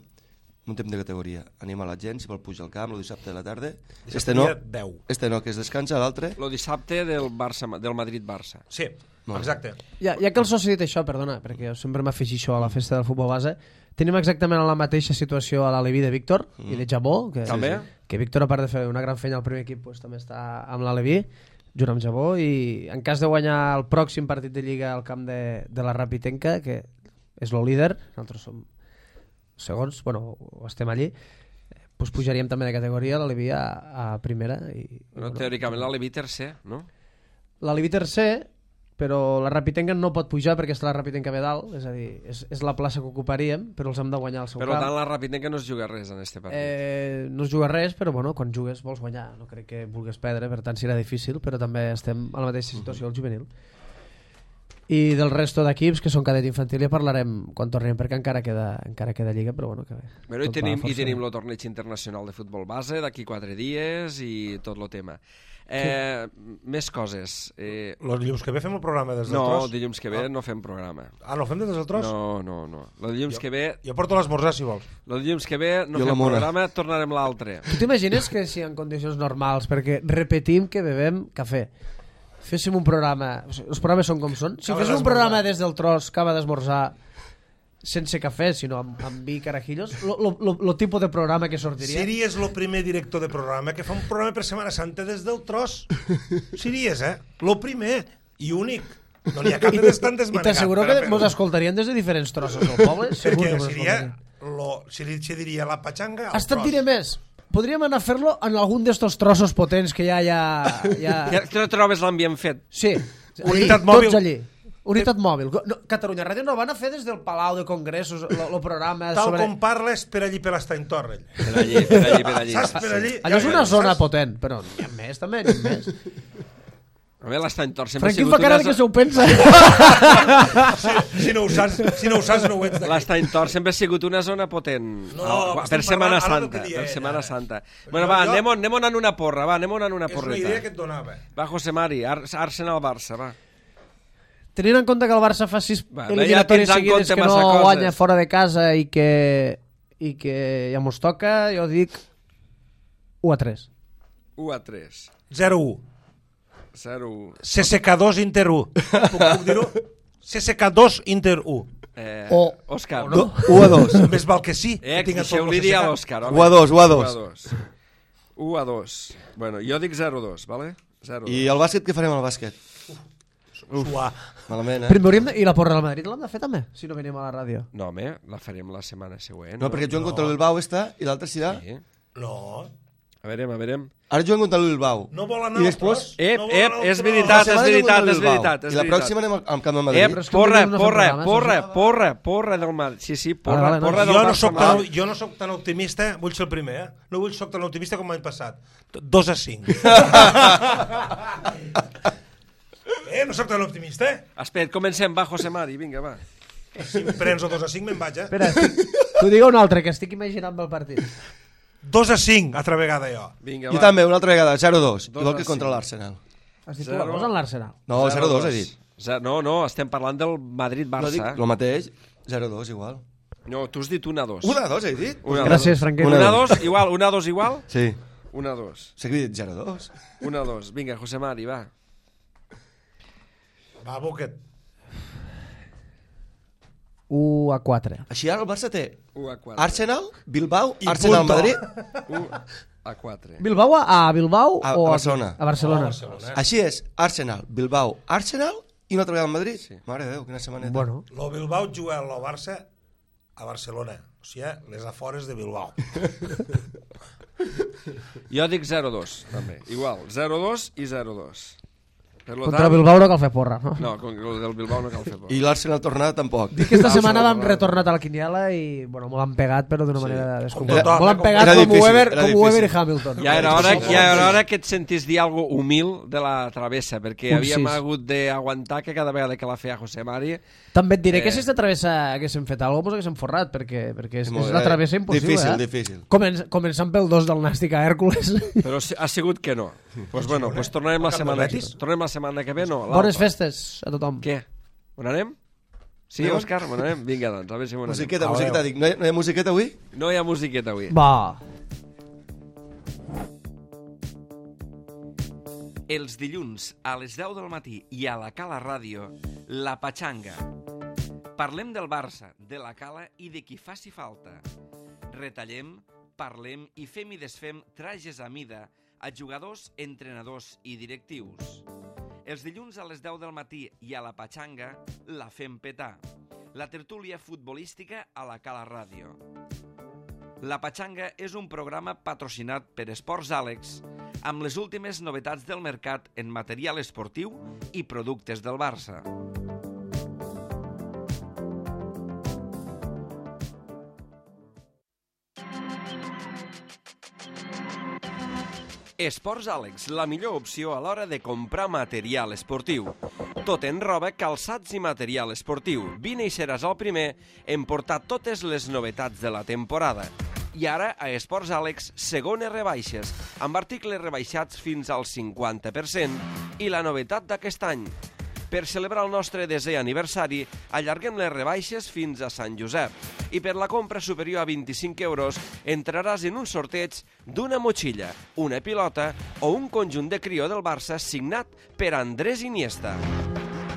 muntem de categoria. Anem a la gent, si vol pujar al camp el dissabte de la tarda. Dissabte Este no, dia deu. este no, que es descansa, l'altre. Lo dissabte del, Barça, del Madrid-Barça. Sí, Molt exacte. Ja, ja que el soci ha dit això, perdona, perquè jo sempre m'afegeixo això a la festa del futbol base, tenim exactament la mateixa situació a l'Aleví de Víctor mm. i de Jabó, que, També? que Víctor, a part de fer una gran feina al primer equip, pues, també està amb l'Aleví, junt amb Jabó, i en cas de guanyar el pròxim partit de Lliga al camp de, de la Rapitenca, que és el líder, nosaltres som segons, bueno, estem allí, pues pujaríem també de categoria l'Aleví a, a primera. I, Bueno, bueno, teòricament l'Aleví tercer, no? L'Aleví tercer, però la Rapitenca no pot pujar perquè està la Rapitenca ve dalt, és a dir, és, és la plaça que ocuparíem, però els hem de guanyar al seu Per camp. tant, la Rapitenca no es juga res en este partit. Eh, no es juga res, però bueno, quan jugues vols guanyar, no crec que vulguis perdre, per tant serà difícil, però també estem a la mateixa situació al juvenil. I del resto d'equips que són cadet infantil ja parlarem quan tornem, perquè encara queda, encara queda Lliga, però bueno, que bé. Bueno, i tot va tenim, i força tenim bé. el torneig internacional de futbol base d'aquí quatre dies i tot el tema. Eh, més coses. Eh, Los dilluns que ve fem el programa des del no, tros? dilluns que ve Ah. no fem programa. Ah, no fem des del tros? No, no, no. El dilluns Jo- que ve, Jo porto l'esmorzar, si vols. el dilluns que ve no Jo la fem mona. programa, tornarem l'altre. Tu t'imagines que si en condicions normals, perquè repetim que bevem cafè, féssim un programa, o sigui, els programes són com són, si Acaba féssim un d'esmorzar. programa des del tros, acaba d'esmorzar, sense cafè, sinó amb, amb vi i carajillos, el tipus de programa que sortiria... Series el primer director de programa que fa un programa per Setmana Santa des del tros. Series, eh? Lo primer i únic. No n'hi ha cap de les tantes I manegat. t'asseguro per a que fer-ho. mos escoltarien des de diferents trossos del poble. Segur Perquè que mos seria... escoltarien. Lo, se, li, se diria la patxanga al Hasta et tros. diré més. Podríem anar a fer-lo en algun d'estos trossos potents que ja hi ha... Ja... Que, que no trobes l'ambient fet. Sí. Unitat Allí, mòbil. Tots allí. Unitat mòbil. No, Catalunya Ràdio no van a fer des del Palau de Congressos el programa Tal sobre... com parles per allí per l'Estany Torrell. Per allí, per allí, per allí. Saps? Per allí... Allò és una ja, zona saps? potent, però n'hi ha més també, n'hi ha més. A veure, l'Estany Tor sempre ha Franquín sigut fa cara una... que se ho pensa. Si, si, no ho saps, si no ho saps, no ho ets d'aquí. L'Estany Tor sempre ha sigut una zona potent. No, Ah, estem per Setmana parlant ara del Santa. que dia Per ella, Setmana ara. Santa. Però Bueno, jo- va, jo- anem, anem anant una porra, va, anem anant una És una porreta. idea que et donava. Va, José Mari, Ar Arsenal-Barça, va. Tenint en compte que el Barça fa sis Va, eliminatòries ja tens en seguides compte que no massa coses. guanya fora de casa i que, i que ja mos toca, jo dic u a tres. u a tres. zero u. zero u. C S K dos Inter u. Puc, puc dir-ho? C S K dos Inter u. Eh, O- Òscar. o no. u a dos. Més val que sí. Eh, que tinga tot deixeu-li el dir a C S K. l'Òscar. home. u a dos, u a dos. u a dos. u a dos. Bueno, jo dic zero a dos, vale? zero a dos. I el bàsquet, què farem al bàsquet? Suar. Malament, eh? Primer hauríem de... I la porra del Madrid l'hem de fer també, si no venim a la ràdio. No, home, la farem la setmana següent. No, perquè juguen contra el Bilbao està i l'altre serà... Sí. No. A veurem, a veurem. Ara juguen contra el Bilbao. No vol anar I al després... tros. Ep, No vol ep, anar al és tros. veritat, La és setmana veritat, contra el és Bilbao. veritat, és I la veritat. pròxima anem al al camp del Ep, Madrid. Però és que porra, no fem porra, programes, porra, això. porra, porra del Madrid. Sí, sí, porra, Vale, vale, no. porra del Jo no, Barça soc mal. tan, jo no soc tan optimista, vull ser el primer, eh? No vull soc tan optimista com l'any passat. dos a cinc. eh, no soc tan optimista, eh? Espera, comencem, va, José Mari, vinga, va. Si em prens el dos a cinc me'n vaig, eh? Espera, estic... t'ho digue un altre, que estic imaginant el partit. dos a cinc, altra vegada jo. Vinga, Jo va. també, una altra vegada, zero a dos. Dos Igual a que contra cinc. l'Arsenal. Has dit tu Zero. la cosa en l'Arsenal. No, zero a dos he dit. Zero- No, no, estem parlant del No dic Madrid-Barça. el mateix, zero a dos igual. No, tu has dit un a dos. un a dos he dit? Un a Gràcies, dos. Franquet. Un a dos, igual, un a dos igual? Sí. Un a dos. Sé que he dit zero a dos. Un a dos. Vinga, José Mari, va. Va, Buquet. u a quatre. Així ara el Barça té u a quatre. Arsenal, Bilbao, I Arsenal, punto. Madrid. u a quatre. Bilbao a, a Bilbao A- o a a Barcelona. A Barcelona. Oh, Barcelona. Així és, Arsenal, Bilbao, Arsenal i una altra vegada al Madrid. Sí. Mare de Déu, quina setmaneta. Bueno, Lo Bilbao juga al Barça a Barcelona. O sigui, les afores de Bilbao. Jo dic zero a dos, també. Igual, zero a dos i zero a dos. Per lo Contra tant... Bilbao no cal fer porra, no? No, con el del Bilbao no cal fer por. I l'Arsenal tornada tampoc. Aquesta setmana vam retornat a la quiniela i bueno, m'ho han pegat, però d'una manera descomunal. M'ho M'ho han pegat era com difícil, Weber, era com Weber i difícil. Hamilton. Ja era hora, ja era hora que et sentis dir algo humil de la travessa, perquè Un havíem sis. hagut d'aguantar que cada vegada que la feia José Mari... També et diré que Eh. si aquesta travessa haguéssim fet alguna cosa, mos haguéssim forrat, perquè, perquè és, Molt és bé. la travessa impossible. Difícil, eh? difícil. Comen començant pel dos del Nàstic a Hèrcules. Però ha sigut que no. Doncs pues bueno, pues tornarem la Camp del setmana, Betis? tornem la setmana que ve, no? Bones l'Alfa. festes a tothom. Què? On anem? Sí, Anem? Òscar, on anem? Vinga, doncs, a veure si on anem. Musiqueta, Adéu. musiqueta, dic. No hi, no hi ha musiqueta avui? No hi ha musiqueta avui. Va. Els dilluns a les deu del matí i a la Cala Ràdio, La Patxanga. Parlem del Barça, de la Cala i de qui faci falta. Retallem, parlem i fem i desfem trajes a mida a jugadors, entrenadors i directius. Els dilluns a les deu del matí i a la Patxanga la fem petar. La tertúlia futbolística a la Cala Ràdio. La Patxanga és un programa patrocinat per Esports Àlex amb les últimes novetats del mercat en material esportiu i productes del Barça. Esports Àlex, la millor opció a l'hora de comprar material esportiu. Tot en roba, calçats i material esportiu. Vine i seràs el primer en portar totes les novetats de la temporada. I ara, a Esports Àlex, segones rebaixes, amb articles rebaixats fins al cinquanta per cent. I la novetat d'aquest any. Per celebrar el nostre desè aniversari, allarguem les rebaixes fins a Sant Josep. I per la compra superior a vint-i-cinc euros entraràs en un sorteig d'una motxilla, una pilota o un conjunt de crió del Barça signat per Andrés Iniesta.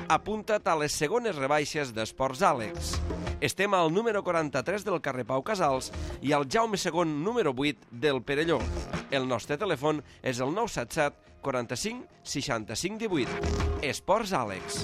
Apunta't a les segones rebaixes d'Esports Àlex. Estem al número quaranta-tres del carrer Pau Casals i al Jaume segon número vuit del Perelló. El nostre telèfon és el nou set set quaranta-cinc seixanta-cinc divuit. Esports Àlex.